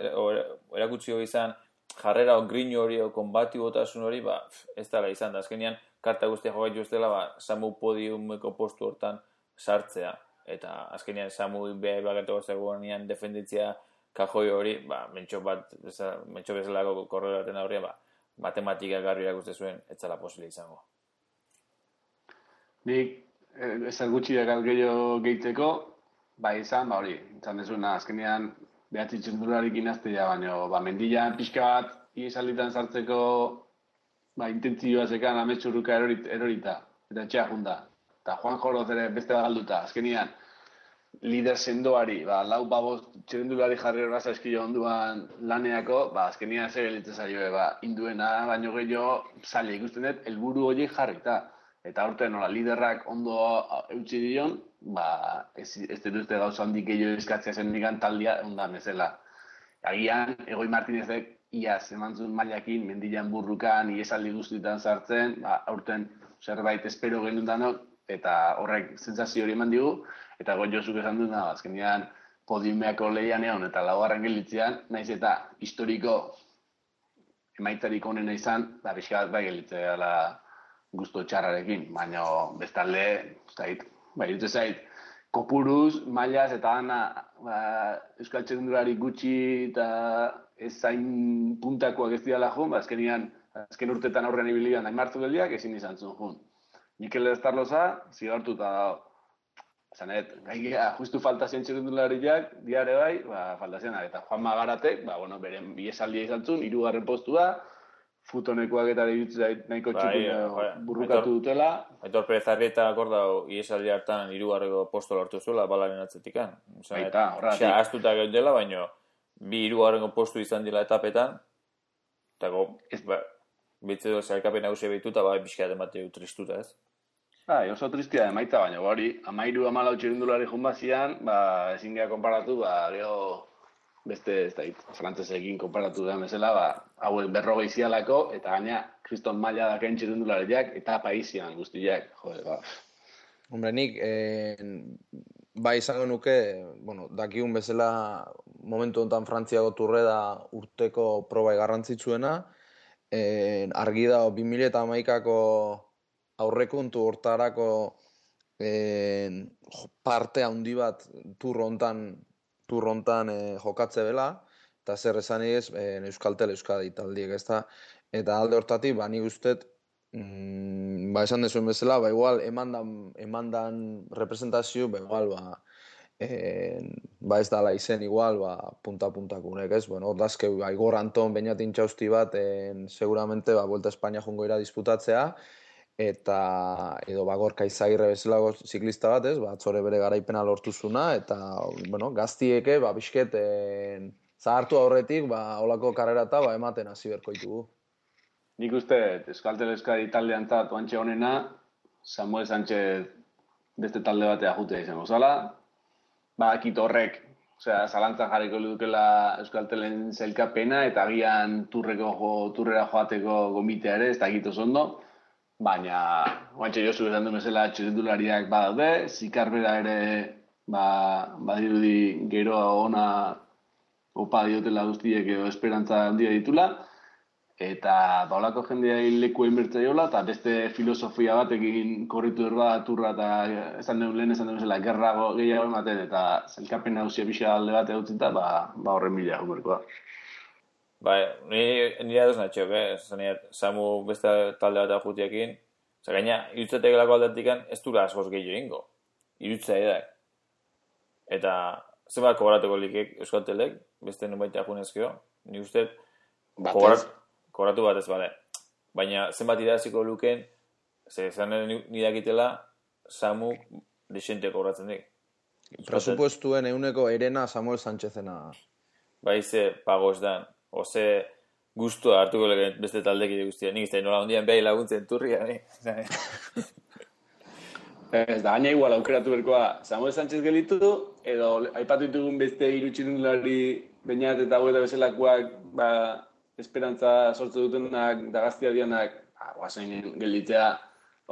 erakutsi hori izan, jarrera o grino hori o konbati botasun hori, ba, ez dela izan da, azkenean, karta guztia jokatu ustela, ba, Samu podiumeko postu hortan sartzea, eta azkenean Samu behar bakatuko zegoenean defenditzea kajoi hori, ba, mentxo bat, mentxo bezalako korrela baten aurria, ba, matematika garri erakuste zuen, ez zela posile izango. Nik, ezer gutxi dakat gehiago gehitzeko, bai izan, ba hori, izan dezuna, azkenean, behatzi txendurarik inaztea, baina, ba, mendian pixka bat, iesalditan sartzeko, ba, intentzioa zekan ametsurruka erorit, erorita, eta etxea junda. Eta Juan Joroz ere beste bat galduta, azkenean, lider sendoari, ba, lau baboz txendulari jarri horra zaizkio onduan laneako, ba, azkenean zer gelitzen zaio, ba, induena, baino gehiago, zaila ikusten dut, helburu horiek jarrita. Eta aurten nola liderrak ondo eutxi dion, ba, ez, ez dute gauza handik gehiago eskatzea zen nigan taldia ondan ezela. Agian, Egoi Martinezek iaz emantzun mailakin, mendilan burrukan, iesaldi guztietan sartzen, ba, aurten zerbait espero genuen danok, eta horrek sentsazio hori eman digu, eta Goiozuk esan dut, azkenean podiumeako lehian egon, eta laugarren gelitzean, naiz eta historiko emaitzarik onena izan, ba, pixka bat bai gelitzea dela gusto txarrarekin, baina bestalde, zait, bai, dute zait, kopuruz, mailaz eta ana, ba, Euskal Txirrindulari gutxi eta ez zain puntakoak ez dira jun, ba, azkenian, azken urtetan aurrean ibilian dain martzu geldiak, ezin izan zuen jun. Mikel Estarloza, zigartu eta, zanet, gaia, justu falta zien txirrindulariak, diare bai, ba, falta zienak, eta Juan Magaratek, ba, bueno, beren biesaldia izan zuen, hirugarren postua, futonekoak eta dituzait nahiko txukun burrukatu dutela. Aitor Perez Arrieta akordau iesaldi hartan hirugarreko posto lortu zuela balaren atzetikan. Baita, horretik. Osea, astuta geundela, baina bi hirugarrengo postu izan dela etapetan. Eta go, ba, bitze du zailkapen nagusia behituta, ba, bizkat emate tristuta ez. Ba, oso tristia emaita, baina hori, amairu amalau txirindulari junbazian, ba, ezin geha konparatu, ba, geho, beste, ez da, frantzesekin konparatu da bezala, ba, hauek berrogei zialako, eta gaina, kriston maila dakain txirindulariak, eta paizian guztiak, jode, ba. Hombre, nik, eh, bai izango nuke, bueno, dakigun bezala, momentu honetan Frantziako turre da urteko probai garrantzitsuena, eh, argi da, bi mila hamaikako aurrekontu hortarako eh, parte handi bat tur hontan tur hontan eh, jokatze bela, eta zer esan ez, eh, Euskaltel Euskadi taldiek, ez da, eta alde hortatik, ba, nik ustet, mm, ba, esan dezuen bezala, ba, igual, emandan, emandan representazio, ba, igual, ba, eh, ba, ez dala izen, igual, ba, punta-puntakunek, ez, bueno, ordazke, ba, Igor Anton, Beñatin txausti bat, en, seguramente, ba, Vuelta Espainia jongo ira disputatzea, eta edo Bagorka Izagirre bezalago ziklista bat, ez, ba, atzore bere garaipena lortuzuna, eta, bueno, gaztieke, ba, bizket, en, zahartu aurretik, ba, holako karrerata, ba, ematen hasi berko ditugu. Nik uste, Euskaltel Euskadi taldean zat oantxe honena, Samuel Sánchez beste talde batea jute izango zala, ba, akit horrek, osea, zalantzan jarriko dukela Euskaltelen zelkapena, eta agian turreko jo, turrera joateko gomitea ere, ez da egito zondo, baina, oantxe Josu esan duen bezala txirrindulariak badaude, Zikarbera ere, ba, badirudi geroa ona opa diotela guztiek edo esperantza handia ditula, eta baulako jendea leku inbertzaiola, eta beste filosofia batekin korritu erba turra, eta esan duen lehen esan duen bezala, gerra gehiago ematen, eta zelkapen nagusia pixa alde bat egutzita, ba, ba horren bila humerkoa. Ba, nire aduz natxok, eh? Zaneat, Samu beste talde bat ajutiakin, oza, gaina, irutzategelako aldetikan ez dura askoz gehiago ingo. Irutza edak. Eta, zenbat kobratuko likek Euskaltelek, beste nubait ajunezkio, ni uste, kobratu bat ez bale. Baina, zenbat iraziko luken, ze zanen nidakitela, Samu desente kobratzen dik. Presupuestuen euneko erena Samuel Sánchezena. Baize, pago ez dan. Ose, gustua hartuko lehen beste taldekide guztia. Nik ez da nola ondian behai laguntzen turria. Ez da, gaina igual aukeratu berkoa Samuel Sánchez gelitu, edo aipatu ditugun beste hiru txirrindulari Beñat eta Hueta bezalakoak, ba, esperantza sortze dutenak, dagaztia dianak, ba, guazen gelditzea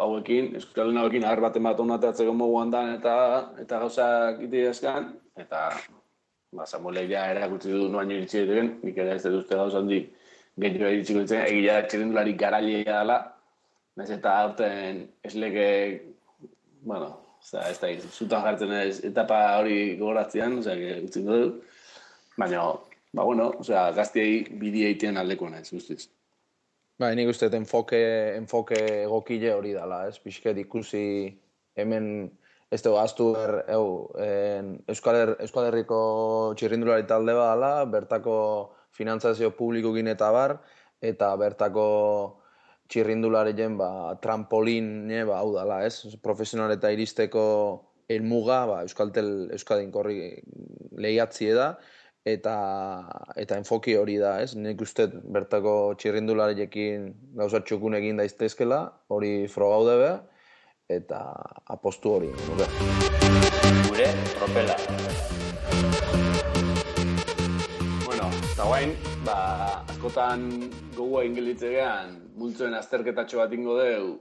hauekin, Euskaldun hauekin ahar baten bat onatatzeko moguan dan eta eta gauzak iteazkan, eta ba, Samuelek ja erakutsi du noaino iritsi diren, nik ere ez dut uste gauza handik gehiago iritsiko ditzen, egia txirrindulari garaileia dela, nahiz eta aurten esleke, bueno, oza, ez da, zutan jartzen ez etapa hori gogoratzean, oza, utzin du, baina, ba, bueno, oza, gaztiei bidi egitean aldeko naiz, guztiz. Ba, nik uste enfoke, enfoke egokile hori dela, ez? Pixket ikusi hemen ez dugu aztu er, eu, en, Euskal, Her, Euskal Herriko txirrindulari talde badala, bertako finantzazio publikokin eta bar, eta bertako txirrindularien ba, trampoline ba, hau dala, ez? Profesionaleta iristeko helmuga ba, Euskaltel Euskadin korri lehiatzie da, eta eta enfoki hori da, ez? Nik uste bertako txirrindulariekin gauza txukun egin daiztezkela, hori frogaude be, eta apostu hori. Nuke. Gure tropela. Bueno, eta guain, ba, askotan gogoa ingelitzegean, multzoen azterketatxo bat ingo deu,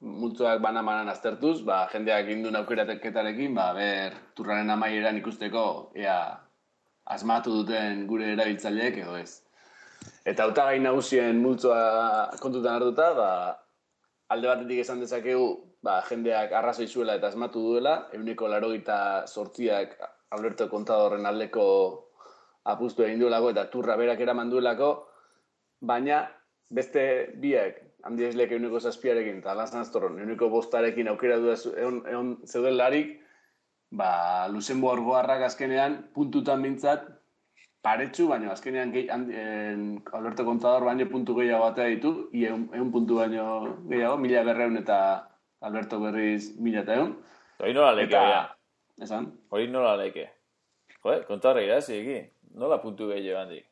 multzoak bana-banan aztertuz, ba, jendeak indun aukeraketarekin, ba, ber, turraren amaieran ikusteko, ea, asmatu duten gure erabiltzaileek edo ez. Eta hautagai nagusien multzoa kontutan hartuta, ba, alde batetik esan dezakegu, ba, jendeak arrazoi zuela eta asmatu duela, ehuneko laurogeita zortziak Alberto Contadorren aldeko apustu egin duelako eta turra berak eraman duelako, baina beste biak, Handi Eslek ehuneko zazpiarekin eta Alan Astorron ehuneko bostarekin aukera du egon, egon zeuden larik, ba, Luxemburgoarrak azkenean puntutan mintzat paretsu, baina azkenean gehi, en, Alberto Contador baino puntu gehiago batea ditu, egun puntu baino gehiago, mila berreun eta Alberto berriz mila eta egun. Hori nola leke, eta, esan? Hori nola leke. Joder, Contador irazi egi, nola puntu gehiago handik.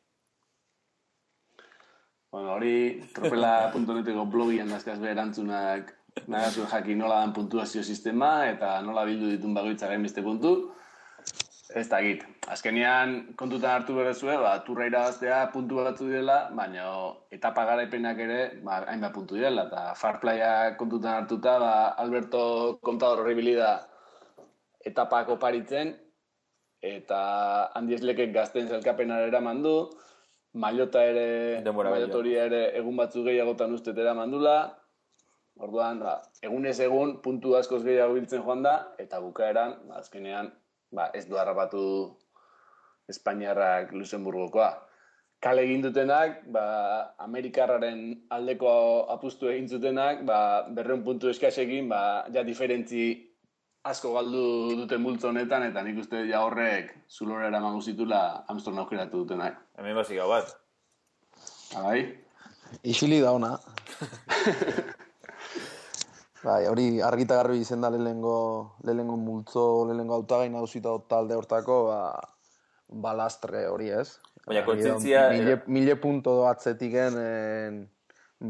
Bueno, hori tropela puntu neteko blogian dazkaz behar erantzunak nagazuen jakin nola dan puntuazio sistema eta nola bildu ditun bagoitzaren beste puntu. Ez da git. Azkenean kontutan hartu berezue, ba, turra irabaztea puntu batzu direla, baina etapa garaipenak ere ba, hainbat puntu direla. Eta Farplaya kontutan hartuta, ba, Alberto Contador horri da etapako paritzen, eta Handi Eslekek gazten zelkapenara eraman du, Mailota ere, Mailotoria ere egun batzu gehiagotan ustet eraman dula, orduan, ba, egunez egun puntu askoz gehiago biltzen joan da, eta bukaeran, ba, azkenean, ba, ez du harrapatu Espainiarrak Luxemburgokoa. Kale egin dutenak, ba, Amerikarraren aldeko apustu egin zutenak, ba, berreun puntu eskasekin, ba, ja diferentzi asko galdu duten multzo honetan, eta nik uste ja horrek zulora eramango zitula Armstrong aukeratu dutenak. Hemen basik hau bat. Abai? Isili da ona. Bai, hori argita garbi izen da lehengo, lehengo multzo, lehengo autagai nagusita talde hortako, ba, balastre hori ez. Baina kontzientzia... Mille, mille punto atzetiken,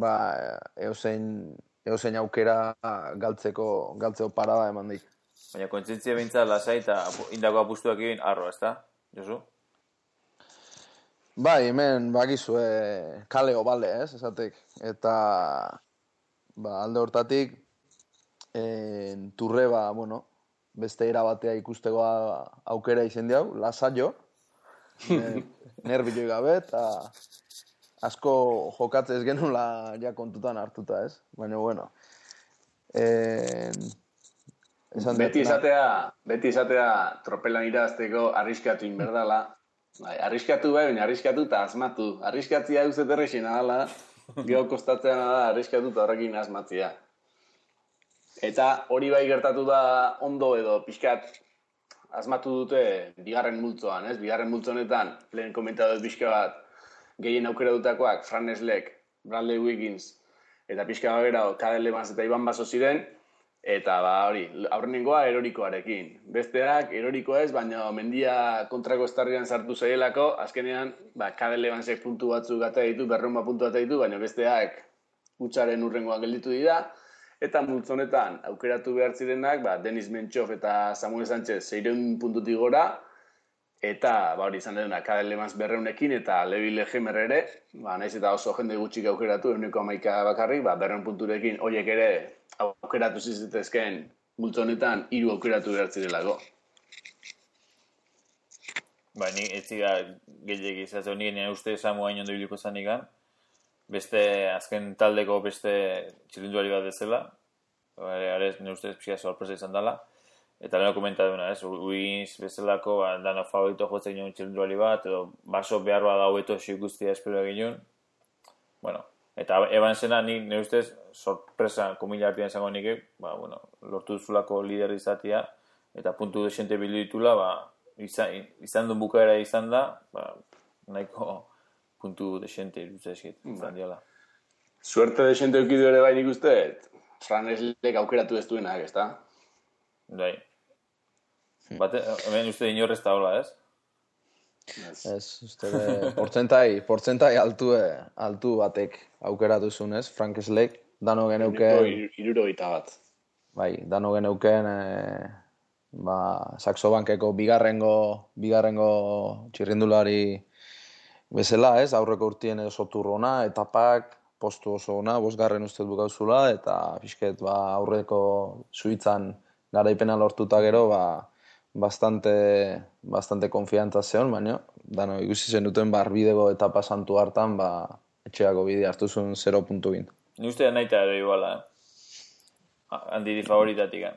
ba, eozein, eozein aukera galtzeko, galtzeko parada eman dik. Baina kontzientzia bintzat lasai eta indako apustuak egin arro, ez da? Josu? Bai, hemen bakizue kale obale, ez, esatek. Eta ba, alde hortatik en, turre, ba, bueno, beste era batea ikusteko aukera izen diau, lasaio, nervioi gabe, eta asko jokatzez genula ja kontutan hartuta, ez? Baina, bueno, en, Beti izatea, beti izatea tropelan irabazteko arriskatu inberdala. Bai, arriskatu bai, baina arriskatu eta asmatu. Arriskatzia euzet errexina dala, geho kostatzea da arriskatu eta horrekin asmatzia. Eta hori bai gertatu da ondo edo pixkat asmatu dute bigarren multzoan, ez? Bigarren multzo honetan, lehen komentatu pixka bat, gehien aukera dutakoak, Fran Eslek, Bradley Wiggins, eta pixka bagera, Cadel Evans eta Iban Baso ziren, Eta ba hori, aurrenengoa erorikoarekin. Besteak erorikoa ez, baina mendia kontrako estarrian sartu zaielako, azkenean, ba, Cadel Evansek puntu batzuk gata ditu, berrehun puntu gata ditu, baina besteak hutsaren urrengoan gelditu dira. Eta multzonetan, aukeratu behar zirenak, ba, Denis Menchov eta Samuel Sánchez seiehun puntutik gora, eta ba, hori izan dena Cadel Evans berreunekin, eta Levi Legemer ere, ba, naiz eta oso jende gutxik aukeratu, ehuneko hamaika bakarrik, ba, berrehun punturekin, horiek ere aukeratu zizitezken multzonetan hiru aukeratu behar zirelako. Ba, ni ez zira gehiagik izatzen, nire nire uste Samu hain ondo biliko zanikan, beste azken taldeko beste txilindulari bat bezala, arez nire ustez pixka sorpresa izan dela, eta leheno komentaduna, ez, Uiz bezalako, ba, dano favorito jotzen ginen txilindulari bat, edo baso behar bat hau eto xik guztia espero egin. Bueno, eta Evansena ni nire ustez sorpresa komila artian izango nik, ba, bueno, lortu duzulako lider izatea, eta puntu desente bildu ditula, ba, izan, izan duen bukaera izan da, ba, nahiko puntu desente irutza eskit, izan diala. Suerte desente eukidu ere bai nik uste, Fran Eslek aukeratu ez duenak, ez da? Bai. Bate, hemen uste inorrez da hola, ez? Ez, uste portzentai, portzentai altu, altu batek aukeratu zuen, ez? Frank Eslek, dano geneuken... Iruro gita bat. Bai, dano geneuken, e, ba, Saxobankeko bigarrengo, bigarrengo txirrindulari bezala, ez? Aurreko urtien oso turrona, etapak, postu oso ona, bosgarren uste bukauzula, eta pixket, ba, aurreko Suitzan garaipena lortuta gero, ba, bastante, bastante konfiantza zeon, baina, dano, ikusi zen duten barbidego etapa santu hartan, ba, etxeako bide hartu zuen zero puntu bin. Ni uste nahi eta ero iguala, eh? Handiri favoritatik, eh?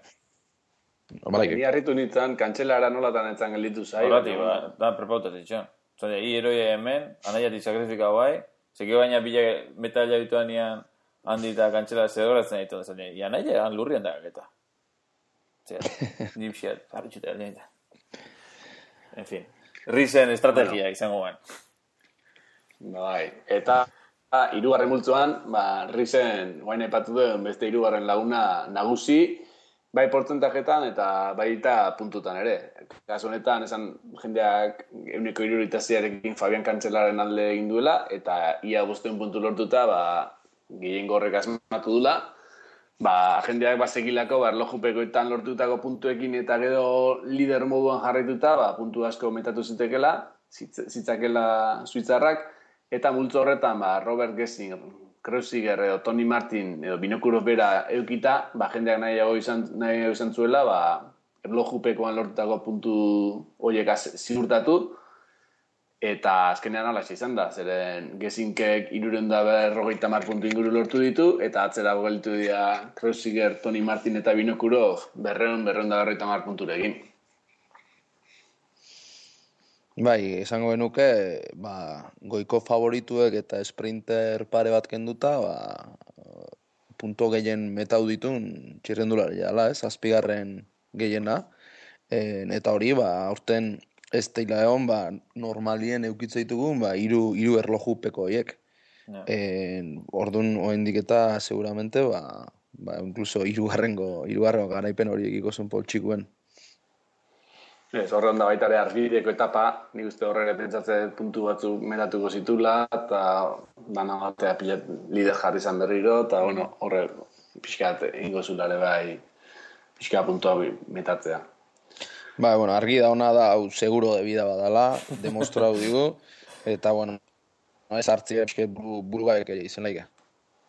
Ni harritu nintzen, kantxelara nolatan etzan gelditu zai. Horrati, ba, da, prepautatik, txon. Zone, hi eroia hemen, anaiatik sakrifikau bai, zeki baina bila metalla bituan ian handi eta kantxela zedoratzen ditu. Zone, ia nahi han lurrian da gaketa. Zer, nipsiat, harritxuta aldien da. En fin, Risen estrategia bueno. Izango guen. Bai, eta hirugarren multzoan, ba, Risen guain aipatu duen beste hirugarren laguna nagusi, bai portzentajetan eta baita puntutan ere. Kasu honetan, esan jendeak euneko iruritaziarekin Fabian Kantzelaren alde egin duela, eta ia bosteun puntu lortuta, ba, gehiengo horrek asmatu dula. Ba, jendeak bazekilako, ba, erlojupekoetan lortutako puntuekin eta gero lider moduan jarraituta, ba, puntu asko metatu zitekela, zitzakela suitzarrak, eta multzo horretan, ba, Robert Gessing, Kreuziger edo Tony Martin edo Binokurov bera eukita, ba, jendeak nahiago izan, nahiago izan zuela, ba, erlojupekoan lortutako puntu horiek ziurtatu, eta azkenean alaxe izan da, zeren Gessinkek hirurehun eta berrogeita hamar puntu inguru lortu ditu, eta atzera gelditu dira Kreuziger, Tony Martin eta Binokurov berrehun, berrehun eta berrogeita hamar punturekin. Bai, esango genuke, ba, goiko favorituek eta sprinter pare bat kenduta, ba, punto gehien metau ditun txirrendulari jala, ez, azpigarren gehiena, e, eta hori, ba, aurten ez teila egon, ba, normalien eukitza ditugun, ba, iru, iru erlojupeko horiek. No. E, ordun oendik eta seguramente, ba, ba, incluso irugarrengo, irugarrengo garaipen horiek ikozen poltsikuen. Ez, horre onda baita ere arbideko etapa, nik uste horre pentsatzen puntu batzuk metatuko zitula, eta dana batea pilat lider jarri izan berriro, eta bueno, horre pixkat ingo zulare bai, pixka puntua metatzea. Ba, bueno, argi da ona da, hau seguro de vida badala, demostrau digu, eta bueno, ez hartzia pixket burugaik izan laika.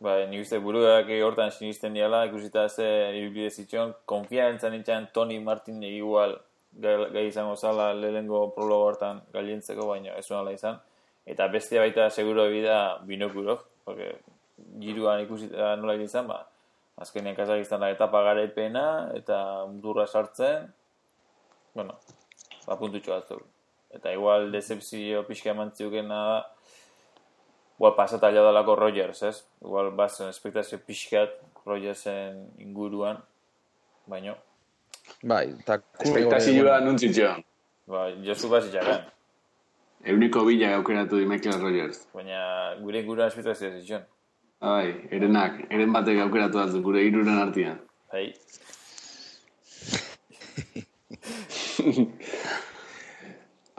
Ba, nik uste burugaik hortan sinisten diala, ikusita ze ibilbide zitxon, konfiantzan nintzen Tony Martin igual, gai izango zala lehengo prologo hortan galientzeko, baina ez ala izan. Eta bestia baita seguro bida Binokurov, porque giruan ikusita nola izan, ba, azkenean Kazakistan da etapa garaipena, eta mundurra sartzen, bueno, ba, puntutxo batzuk. Eta igual decepzio pixka eman ziukena da, igual pasata jaudalako Rogers, ez? Igual bazen espektazio pixkat Rogersen inguruan, baino. Bai, eta... Espektazioa nuntzitxoan. Ba, Josu bazitxakan. Euniko bila aukeratu di Michael Rogers. Baina gure inguruan espektazioa zitxon. Bai, erenak, eren batek aukeratu dut, gure iruren artian. Bai.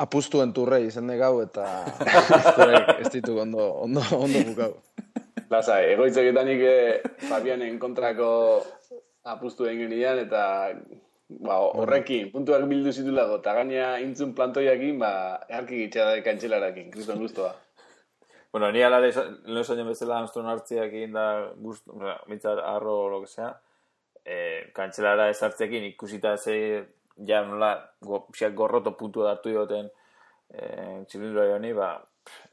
Apustuen turrei izen gau eta apusturek ez ditu ondo, ondo, ondo bukau. Lasa, egoitzeketanik eh, Fabianen kontrako apustu egin genian, eta ba, horrekin, puntuak bildu zitulako, eta gaina intzun plantoiakin, ba, eharki gitxada kantxelarakin, kriston guztua. Bueno, ni alare, lehen esan bezala Armstrong hartziakin da guztu, mitzat arro o lo que sea, eh, kantxelara ez hartziakin ikusita ze, ja nola, go, gorroto puntu hartu dioten eh, txilindulari honi, ba,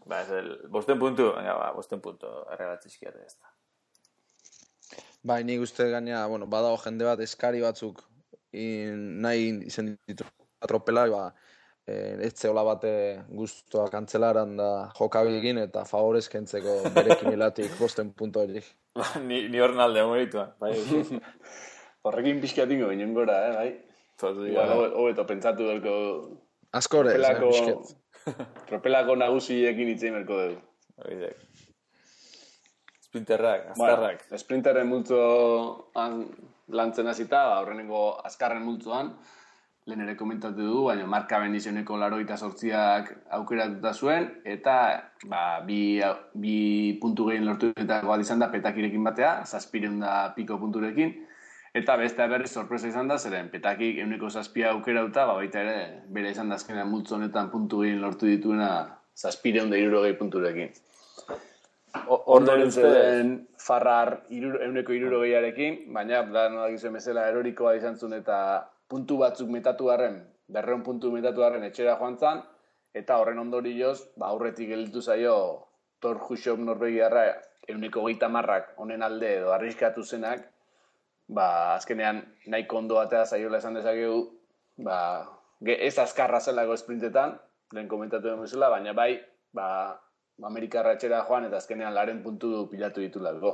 ba, ez el, bosten puntu, venga, ba, bosten puntu, erregatzizkiate ez da. Bai, nik uste gaina, bueno, badago jende bat eskari batzuk in, nahi izen ditu atropela, ba, eh, ez zeola bate guztua kantzelaran da jokabilgin eta favorez kentzeko berekin hilatik bosten puntu horiek. ni, ni horren alde morituan, bai. Horrekin pixkatingo ginen gora, eh, bai? Igual, hobeto pentsatu delko... Askore, tropelako, eh, tropelako nagusiekin itzein berko dugu. Oidek. Sprinterrak, azkarrak. Bueno, sprinterren multzoan lantzen hasita, horrenengo azkarren multzoan, lehen ere komentatu du, baina marka bendizioneko laroita sortziak aukeratuta zuen, eta ba, bi, bi puntu gehien lortu eta bat izan da petakirekin batea, zazpireun da piko punturekin, eta beste berri sorpresa izan da, zeren petakik euneko zazpia aukerauta, ba, baita ere, bere izan da azkenean multzo honetan puntu gehien lortu dituena zazpireun da irurogei punturekin. Ondoren zeden Farrar euneko irurogeiarekin, baina da nola gizuen bezala erorikoa izan zuen eta puntu batzuk metatu harren, berreun puntu metatu harren etxera joan zan, eta horren ondorioz, ba, aurretik gelditu zaio Thor Hushovd Norvegiarra euneko geita marrak honen alde edo arriskatu zenak, ba, azkenean nahiko ondo batea zaiola esan dezakegu, ba, ez azkarra zelako sprintetan, lehen komentatu den bezala, baina bai, ba, Amerikarra etxera joan eta azkenean laren puntu pilatu ditulako.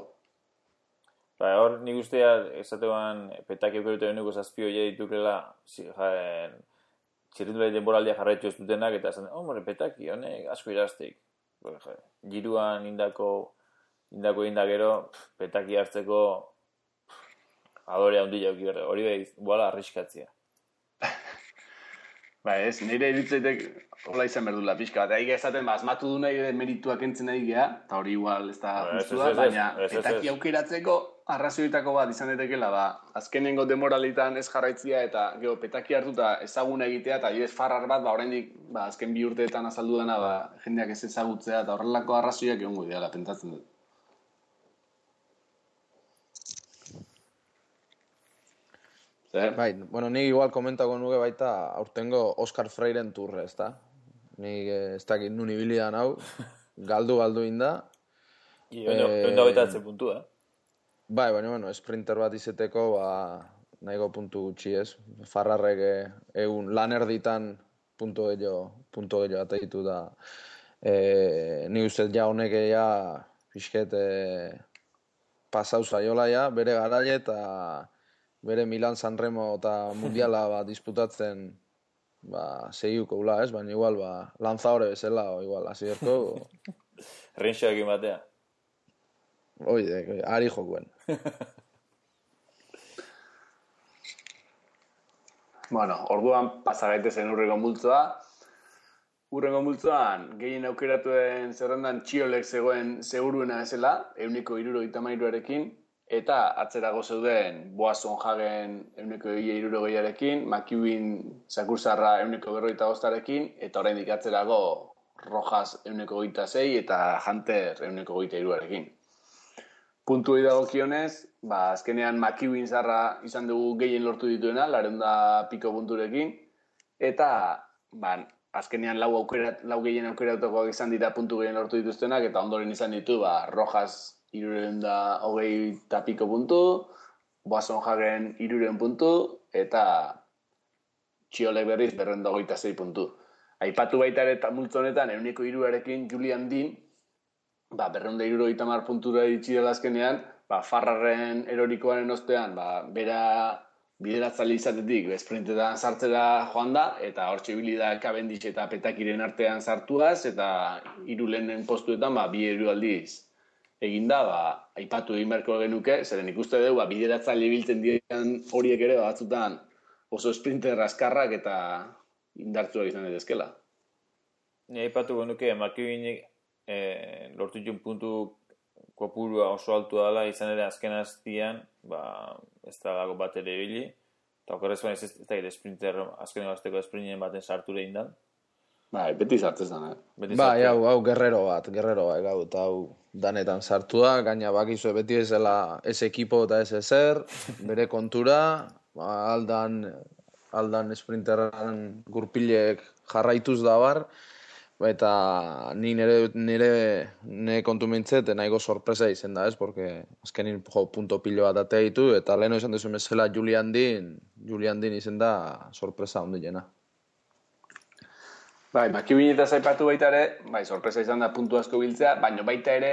Ba, hor nik ustea, esatean, petaki eukerute beneko zazpi hori ditukela, txirrindulari denboraldia jarraitu ez dutenak, eta esan, oh, more, petaki, honek asko iraztik. Giruan indako, indako indakero, petaki hartzeko adorea handia auki berre, hori behiz, buala arriskatzia. Ba ez, nire iritzeitek hola izan berdula pixka bat. Egia esaten, ba, asmatu du nahi merituak entzen nahi geha, eta hori igual ez da justua, baina petaki aukeratzeko arrazioitako bat izan daitekeela, ba, azkenengo demoralitan ez jarraitzia eta geho, petaki hartuta ezaguna egitea, eta adibidez Farrar bat, ba, oraindik ba, azken bi urteetan azaldu dena, ba, jendeak ez ezagutzea, eta horrelako arrazioak egongo ideala, pentsatzen dut. Bai, bueno, nik igual komentako nuke baita aurtengo Oscar Freiren turre, ez da? Nik ez dakit nun ibilidan hau, galdu-galdu inda. Egun da baitatze puntu, eh? Bai, baina, bueno, sprinter bat izeteko, ba, nahiko puntu gutxi ez. Farrarrek egun lan erditan puntu gehiago, puntu gehiago eta ditu da. E, nik uste ja honek ja pixket e, pasau zaiola ja, bere garaile eta bere Milan Sanremo eta Mundiala ba, disputatzen ba, segiuko ula, ez? Baina igual ba, lanzadore bezala, o igual, hasi berko. Rinxo egin batea. Oide, ari jokuen. Bueno, orduan pasa gaitezen urrengo multzoa. Urrengo multzoan, gehien aukeratuen zerrendan Txiolek zegoen seguruena ezela, euneko hirurogeita hamairuarekin, eta atzerago zeuden Boasson Hagen euneko hirurogeiarekin, McEwen Sakursarra euneko berrogeita bostarekin, eta oraindik atzerago Rojas euneko hogeita sei eta Hunter euneko hogeita hiruarekin. Puntuei dagokionez, ba, azkenean McEwen zarra izan dugu gehien lortu dituena, lareunda piko punturekin, eta ba, azkenean lau, aukera, lau gehien aukeratukoak izan dira puntu gehien lortu dituztenak, eta ondoren izan ditu ba, Rojas hirureun da hogei eta piko puntu, Boasson Hagen hirureun puntu, eta Txiolek berriz berreun da hogeita sei puntu. Aipatu baita ere multzo honetan, euneko hiruarekin Julian Dean, ba, berreun da hirurogeita hamar puntura iritsi dela azkenean, ba, Farrarren erorikoaren ostean, ba, bera bideratzale izatetik, sprintetan sartzera joan da, eta hortxe ibili da Cavendish eta Petakiren artean sartuaz, eta hiru lehenen postuetan, ba, bi hiru aldiz eginda, ba, aipatu egin beharko genuke, zeren ikuste dugu, ba, bideratzaile biltzen diren horiek ere, batzutan oso sprinter askarrak eta indartsuak izan daitezkeela. Ni aipatu genuke, Makibinik eh, lortu ditun puntu kopurua oso altu dela, izan ere azken aztian, ba, ez da dago bat ere ibili, eta okerrez baina ez da gire sprinter, azken egazteko sprinten baten sartu egin da. Bai, beti sartzen da, eh? Bai, hau, hau, guerrero bat, guerrero bat, gau, eta hau danetan sartu da, gaina bakizue beti ez dela ez ekipo eta ez ezer, bere kontura, ba, aldan, aldan sprinteran gurpilek jarraituz da bar, eta ni nire, nire, nire kontu mintzet, nahiko sorpresa izen da, ez? Porque azkenin jo, punto pilo bat atea ditu, eta leheno izan dezu mesela Julian Dean, Julian Dean izen da sorpresa ondilena. Bai, Makibinetaz aipatu baita ere, bai, sorpresa izan da puntu asko biltzea, baina baita ere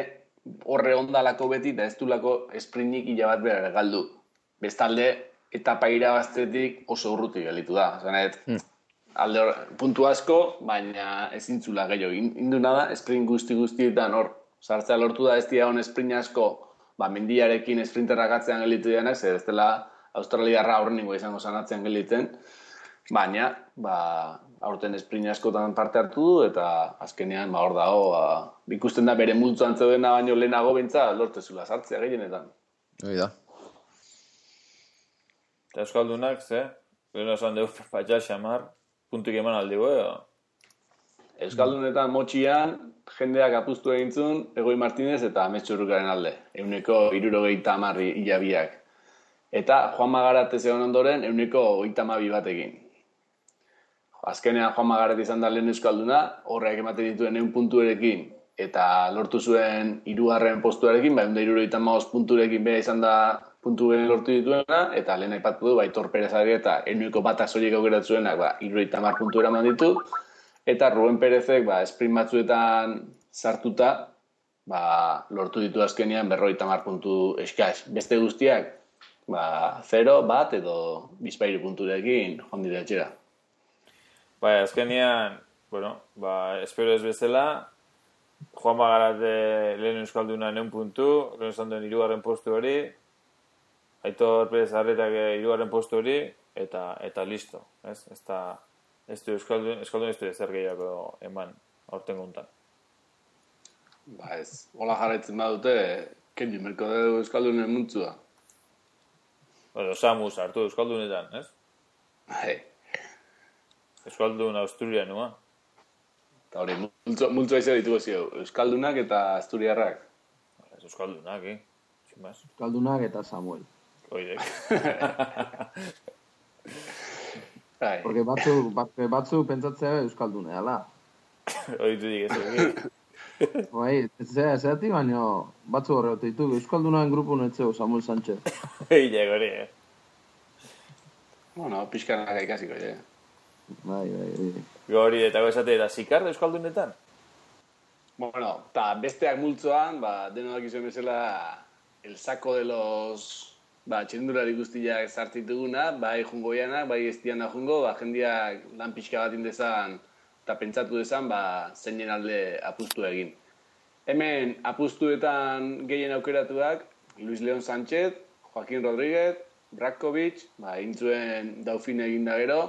horre ondalako beti, eta ez dulako esprinik hila bat behar galdu. Bestalde, etapa irabaztetik oso urruti gelitu da. Zanet, hmm. alde hor, puntu asko, baina ezin zula gehiago. Induna da, sprint guzti-guztietan hor, sartzea lortu da ez dira hon sprint asko, ba, mendiarekin sprinterrak atzean gelitu dianak, zer ez dela Australiarra horrengo izango zanatzean gelitzen, baina, ba, aurten sprint askotan parte hartu du, eta azkenean, ba, hor dago, ba, ikusten da bere multzoan zeudena baino lehenago bentsa, lortezula sartzea gehienetan. Hoi da. Eta Euskaldunak, ze? Gero esan dugu, patxa xamar, puntuk eman aldigo, edo? Euskaldunetan motxian, jendeak apustu egintzun, Egoi Martinez eta Ametxurrukaren alde. Euneko hirurogeita hamarri hilabiak. Eta Juan Magarat ez egon ondoren, euneko hogeita hamabi batekin. Azkenean Juan Magarat izan da lehen euskalduna, horreak ematen dituen ehun puntuerekin, eta lortu zuen hirugarren postuarekin, bai, hirurogeita hamabost punturekin bera izan da puntu gehen lortu dituena, eta lehen aipatu du, bai, Aitor Perezari eta ehuneko batak soilik aukeratu zuenak, ba, hirurogeita hamar puntu eraman ditu, eta Ruben Perezek, ba, sprint batzuetan sartuta, ba, lortu ditu azkenean berrogeita hamar puntu eskaz. Beste guztiak, ba, zero, bat, edo bizpairu punturekin joan dira etxera. Bai, azkenean, bueno, ba, espero ez bezala, Juan Magarat lehen euskalduna neun puntu, lehen esan duen hirugarren postu hori, Aitor Perez Arretak hirugarren postu hori, eta eta listo, ez? Ez da, ez du euskaldun, euskaldun ez du ezer gehiago eman aurten gontan. Ba ez, hola jarraitzen badute, kendu merko dugu euskaldunen muntzua. Bueno, Samus hartu euskaldunetan, ez? Bai. Euskaldun Asturianua. Eta hori, multzo, multzoa izan ditugu zio, euskaldunak eta asturiarrak. Euskaldunak, eh? Euskaldunak eta Samuel. Oidek. Porque batzu, batzu, batzu pentsatzea euskaldune, ala? Oitu dik ez egin. Bai, zera, zerati baino batzu horretu ditu, euskaldunaren grupu netzeu Samuel Sánchez. Eile, gori, eh? Bueno, pixkanak ikasiko, eh? Bai, bai, bai. Gori, eta gozate, eta zikar euskaldunetan? Bueno, eta besteak multzoan, ba, denodak izan bezala, el saco de los, ba, txendurari guztiak sartituguna, bai jungoianak, bai estiana jungo, ba, jendiak lan pixka bat indezan, eta pentsatu dezan, ba, zeinen alde apustu egin. Hemen apustuetan gehien aukeratuak, Luis León Sánchez, Joaquín Rodríguez, Bratkovic, ba, intzuen Dauphin egin da gero,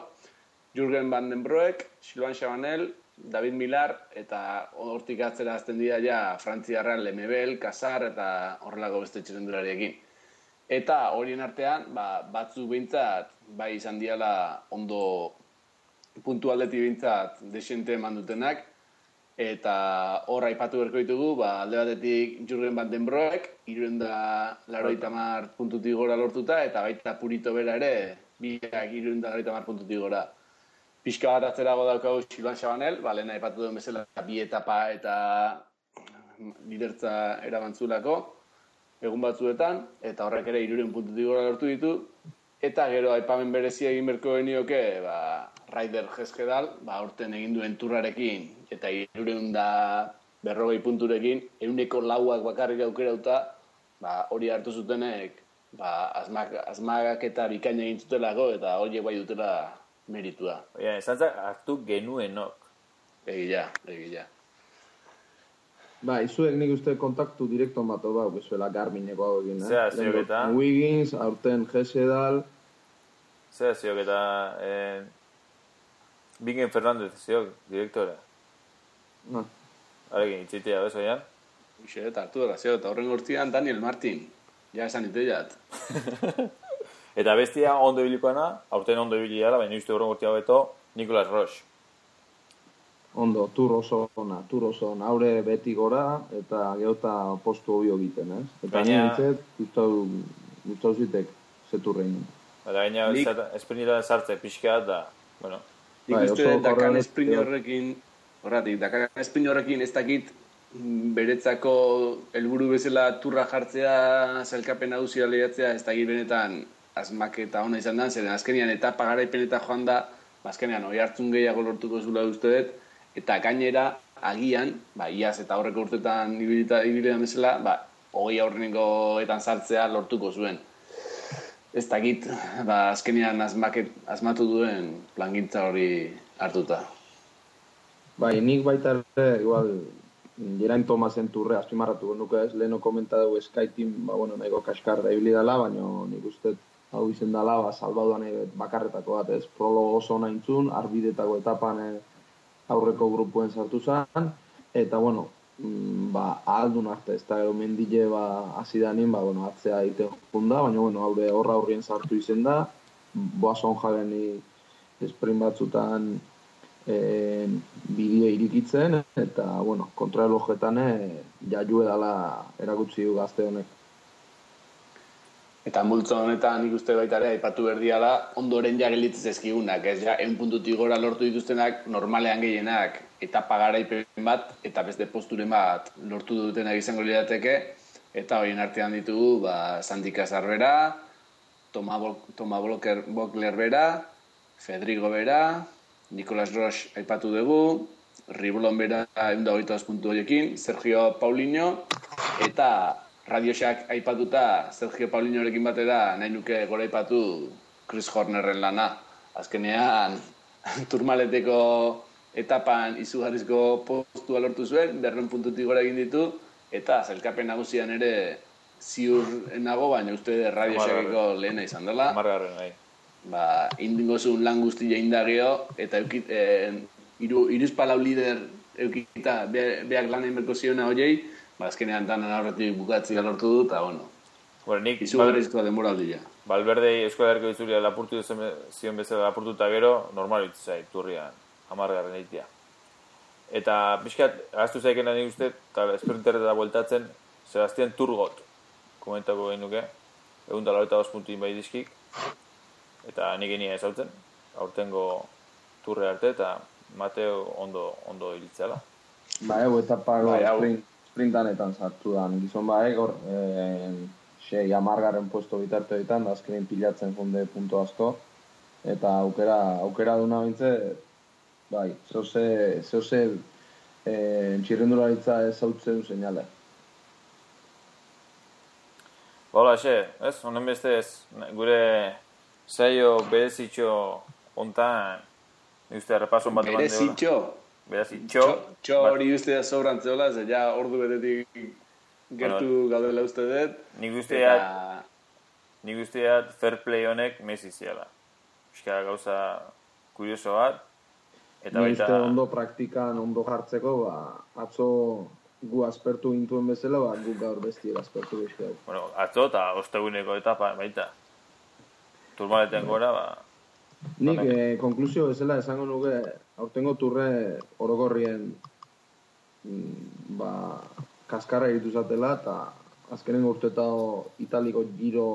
Jürgen Van den Broek, Silvan Chabanel, David Millar, eta hortik atzera azten dira ja Frantziarran Lemebel, Casar eta horrelako beste txerendulariekin. Eta horien artean, ba, batzu behintzat, bai izan diala ondo puntualdeti behintzat desente eman dutenak, eta hor aipatu berko ditugu, ba, alde batetik Jürgen Van den Broek, hirurehun eta laurogeita hamar puntutik gora lortuta, eta baita Purito bera ere, biak hirurehun eta laurogeita hamar puntutik gora. Pixka bat atzerago daukagu Silvan Chabanel, ba, lehen aipatu duen bezala bi etapa eta lidertza erabantzulako egun batzuetan, eta horrek ere hirurehun puntutik gora lortu ditu, eta gero aipamen berezia egin berko genioke, ba, Raider Jeskedal, ba, aurten egin duen turrarekin, eta hirurehun da berrogei punturekin, ehuneko lauak bakarrik aukerauta, ba, hori hartu zutenek, ba, asmak, asmagak eta bikaina egin zutelako, eta horiek bai dutela meritua. Oia, esantzak hartu genuenok. Egia, egia. Ba, izuek nik uste kontaktu direkto mato bau, bezuela Garmineko hau egin, eh? Zea, ziok eta... Wiggins, aurten Gesedal... Zea, ziok eta... Eh, Bingen Fernandez, ziok, direktora. Ah. Harekin, itzitea, bezo, Ian? Ixe, eta hartu dara, ziok, eta horren gortzian Daniel Martin. Ja, esan iteiat. Eta bestia ondo ibilikoana, aurten ondo ibiliara, baina uste horren gortia beto, Nicolas Roche. Ondo, tur oso ona, tur oso ona, haure beti gora, eta geota postu hobio egiten, ez? Eta Baina... nintzet, gustau, gustau zitek zeturrein. Eta gaina, Nik... esprinita sartze pixka da, bueno... Nik bai, uste Dakan korrela... esprin horrekin, horretik, Dakan esprin horrekin ez dakit beretzako helburu bezala turra jartzea, zailkapen nagusia lehiatzea, ez dakit benetan asmaketa ona izan da, zeren azkenean etapa garaipen eta joan da, azkenean oi hartzun gehiago lortuko zula uste dut, eta gainera agian, ba, iaz eta horreko urtetan ibilitan bezala, ba, hogei aurrenengoetan sartzea lortuko zuen. Ez dakit, ba, azkenean asmaket, asmatu duen plangintza hori hartuta. Bai, nik baita ere, igual, Geraint Tomasen turre azpimarratu nuke ez, leheno komentatu Skyteam, ba, bueno, nahiko kaskarra ibili dela, baina nik uste hau izen dela, ba, salbaduan bakarretako bat ez, prologo oso nahintzun, arbidetako etapan eh, aurreko grupuen sartu zen, eta, bueno, mm, ba, ahaldun arte, ez da gero mendile, ba, azidanin, ba, bueno, atzea egiten junda, baina, bueno, haure horra horrien sartu izen da, boazon jageni sprint batzutan, E, bideo irikitzen eta, bueno, kontraelojetan jaiu edala erakutsi du gazte honek. Eta multzo honetan nik uste baita ere aipatu berdiala ondoren ja gelditzen ezkigunak, ez ja, ehun puntutik gora lortu dituztenak normalean gehienak etapa garaipen bat eta beste posturen bat lortu dutenak izango lirateke, eta horien artean ditugu, ba, Sandika Zarbera, Toma, Toma Bokler bera, Fedrigo bera, Nicolas Roche aipatu dugu, Riblon bera ehun eta hogeita bost puntu horiekin, Sergio Paulinho, eta Radiosak aipatuta Sergio Paulinhorekin batera nahi nuke gora aipatu Chris Hornerren lana. Azkenean, Turmaleteko etapan izugarrizko postua lortu zuen, berrehun puntutik gora egin ditu, eta zailkapen nagusian ere ziur nago, baina uste Radiosakeko lehena izan dela. Margarren, bai. Ba, indingo zuen lan guztia indagio, eta eukit, eh, iru, iruzpalau lider eukita beak lan egin berko ziona horiei, ba, azkenean danan aurretik bukatzea lortu du, eta, bueno, bueno nik, izugarrizkoa denboraldia. Valverdei Euskal Herriko Itzulia lapurtu zion bezala lapurtu eta gero, normal bitzu zait, turrian, hamargarren eitia. Eta, pixkat, agaztu zaikena nik uste, eta esprinterreta bueltatzen, Sebastian Turgot, komentako gehin nuke, egun da laueta bost puntuin bai dizkik, eta nik enia ezautzen, aurtengo turre arte, eta Mateo ondo, ondo ilitzela. Ba, egu, etapako bai, sprint, sprintanetan sartu dan, gizon ba, egor, e, sei amargarren puesto bitarte ditan, da azkenein pilatzen funde punto asko, eta aukera, aukera duna bintze, bai, zehose, zehose e, txirrendularitza ez hautzen seinale. Hola, xe, ez, honen beste ez, gure saio berezitxo ontan, uste, repason bat eman deola. Berezitxo? Berezitxo. Txo hori uste da sobrantzeola, ze ja ordu betetik gertu bueno, gaudela uste dut. Nik usteat, eta... nik usteat fair play honek Messi ziala. Euskara gauza kurioso bat. Eta Ni baita... uste ondo praktikan, ondo jartzeko, ba, atzo gu aspertu gintuen bezala, ba, gu gaur bestiek aspertu bezala. Bueno, atzo eta osteguneko etapa baita. Turmaleten gora, ba... Nik, eh, konklusio bezala esango nuke, aurtengo turre orokorrien ba, kaskarra egitu zatela, eta azkenen urtetao italiko giro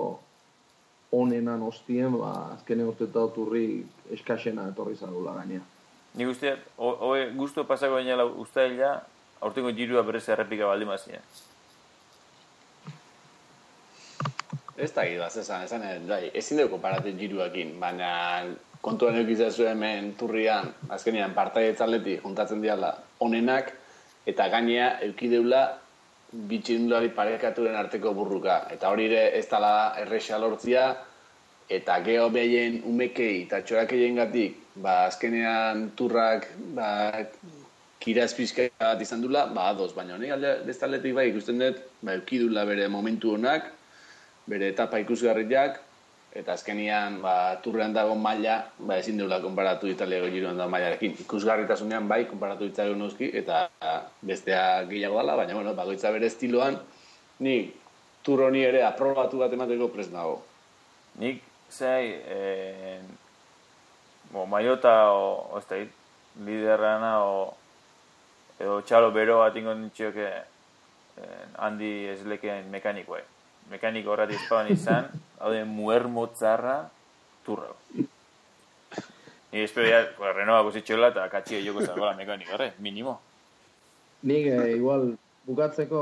onenan ostien, ba, azkenen urtetao turri eskaxena etorri zagula gainea. Nik usteat, hoe guztu pasako gainela ustaila, aurtengo girua berez errepika baldin mazien. Ez da gidaz, esan, esan, bai, ezin dugu konparatzen giruakin, baina kontuan eukizazu hemen turrian, azkenean partaietz atletik juntatzen diala onenak, eta gainea eukideula bitxindulari parekaturen arteko burruka. Eta hori ere ez dala erresa lortzia, eta geho behien umekei eta txorakeien gatik, ba, azkenean turrak, ba, kiraz pixka bat izan dula, ba, ados, baina honek alde bestaldetik bai ikusten dut, ba, eukidula bere momentu honak, bere etapa ikusgarriak, eta azkenian, ba, turrean dago maila, ba, ezin dula konparatu Italiako Giroan dago mailarekin. Ikusgarritasunean bai, konparatu ditzake noski, eta bestea gehiago dela, baina, bueno, bakoitza bere estiloan, ni tur honi ere aprobatu bat emateko prest nago. Nik, zei, eh, bo, Maiota, o, o ez da, liderrana, o, edo txalo bero bat ingo nintxioke eh, handi eslekeen mekanikoa. Mekaniko horrati espaban izan, hau de muermotzarra turrau. Ni espero ya, pues, Renault kusitxola eta katxio joko zagoela mekaniko horre, minimo. Nik eh, igual bukatzeko,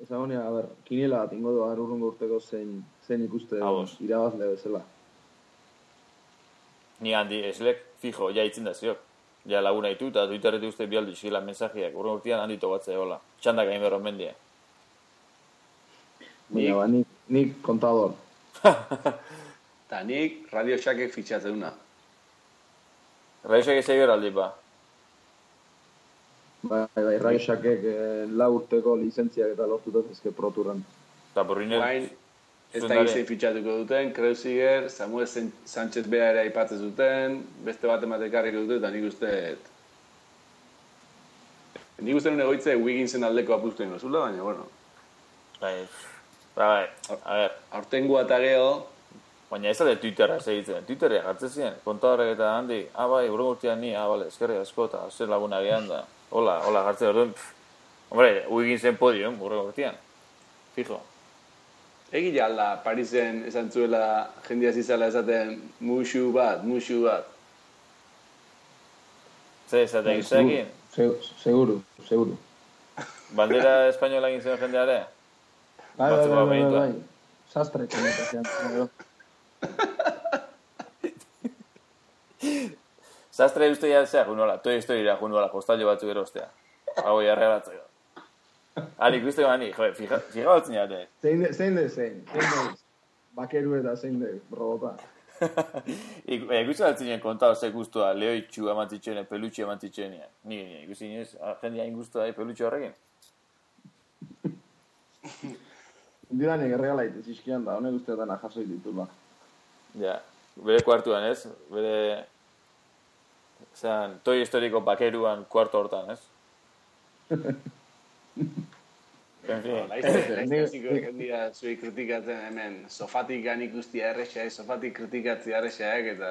ezagonia, a ber, kiniela bat ingo du urrungo urteko zein, zein ikuste irabazle bezala. Ni handi eslek, fijo, ja itzen da ziok. Ja laguna ditu eta Twitterretik uste bialdu izkila mensajiak, urrungo urtean handi tobatzea hola. Txandak hain berron mendia. Baina, ba, nik, nik kontador. Eta nik Radio Shackek fitxatzen duna. Radio Shackek zei beraldi, ba? Bai, bai, Radio Shackek eh, lau urteko lizentziak eta lortuta ezke proturran. Eta burriner... Guain, ez da gizei fitxatuko duten, Kreuziger, Samuel Sánchez Bea ere aipatzen zuten, beste bat ematekarriko dute, eta nik uste... Nik uste nuen egoitze Wigginsen aldeko apustu ingo zula, baina, bueno... Bai, bai, a ver. Aurtengoa eta geho... Baina ez da de Twitterra segitzen. Twitterra jartzen ziren, kontadorek eta handi, ah, bai, urren urtean ni, ah, bale, eskerri asko eta zer laguna gehan da. Hola, hola, jartzen orduen. Hombre, Wigginsen podium, urren urtean. Fijo. Egia alda, Parisen esan zuela jendia zizala esaten musu bat, musu bat. Zer esaten gizakin? Seguro, seguro. Bandera espainola egin zen jendeare? Bai, bai, bai, bai, bai. Sastre komunikazian. Sastre uste ya zea junola, toi historira junola, postallo batzuk erostea. Hau jarra batzuk. Ali, ikuste gani, joe, fija, fija batzen jate. Zein de, zein de, zein. Zein de, bakeru eta zein de, robota. Ikuste batzen kontao ze guztua, lehoitxu amantitxene, pelutxi amantitxene. Ni, ni, ikuste inoz, jendea inguztua da pelutxi horrekin. Indiranek erregala itez izkian da, honek usteetan ajasoi ditula. Ja, bere kuartuan ez, bere... Zeran, toi historiko bakeruan kuarto hortan, ez? En fin. Laiztaziko jendira zuei kritikatzen hemen, sofatik gan ikustia errexaek, sofatik kritikatzia errexaek, eta...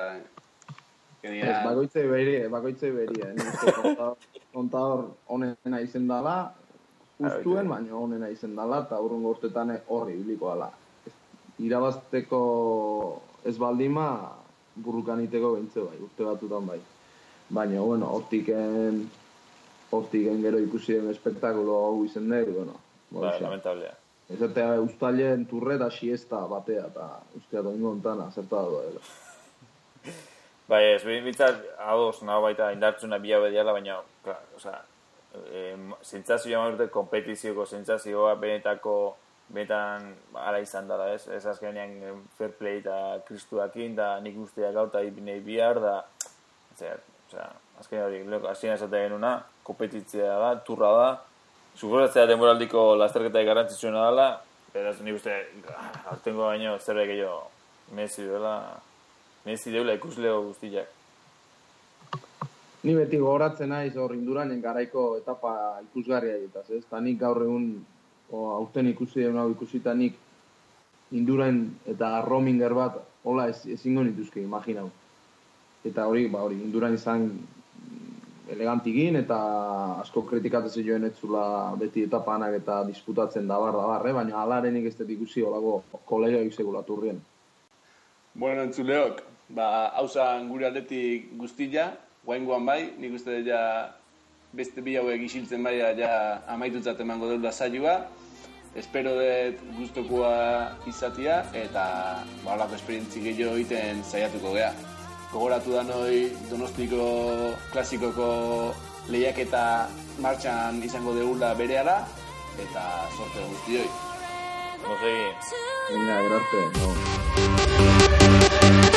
Ez, bakoitzei beria, bakoitzei beria. Kontador honena izen dala, justuen, baina honena izen dala, eta urrungo urtetan horri biliko dala. Irabazteko ez baldima, burrukaniteko behintze bai, urte batutan bai. Baina, bueno, hortiken, hortiken gero ikusi den espektakulo hau izen dut, bueno. Ba, lamentablea. Ez eta ustailen turre da siesta batea, eta ustea doingo ontana, zerta da doela. Bai, ez, bintzat, ados, naho baita indartzuna bila bediala, baina, klar, oza, e, sentsazioa maurte, kompetizioko sentsazioa, benetako, benetan, ala izan dara, ez? Ez azkenean fair play eta kristuakin, da nik usteak gauta ipinei bihar, da, zer, oza, azkenean hori, lehoko, azien esatea genuna, kompetitzea da, turra da, suposatzea denboraldiko lasterketa garrantzitsuena dela, beraz, nik uste, aurtengo baino, zerbait gehiago, mezi duela, mezi deula ikusleo guztiak. Ni beti gogoratzen naiz hor Indurainen garaiko etapa ikusgarria egitaz, ez? Ta nik gaur egun, aurten ikusi den hau ikusita nik Indurain eta Rominger bat, hola ez, ezingo nituzke, imaginau. Eta hori, ba hori, Indurain izan elegantigin eta asko kritikatzen joen etzula beti etapanak eta disputatzen dabar dabar, eh? Baina alarenik ez dut ikusi holako kolegioik segulaturrien. Bueno, entzuleok, ba, hausan gure aldetik guztia, guaingoan bai, nik uste ja beste bi hauek isiltzen bai ja amaitutzat emango deula saioa. Espero dut gustokoa izatia eta ba, horako esperientzi gehiago egiten saiatuko gea. Gogoratu da noi Donostiko klasikoko lehiaketa martxan izango deula berehala eta sorte guztioi. Nos seguimos. Venga, gracias. No.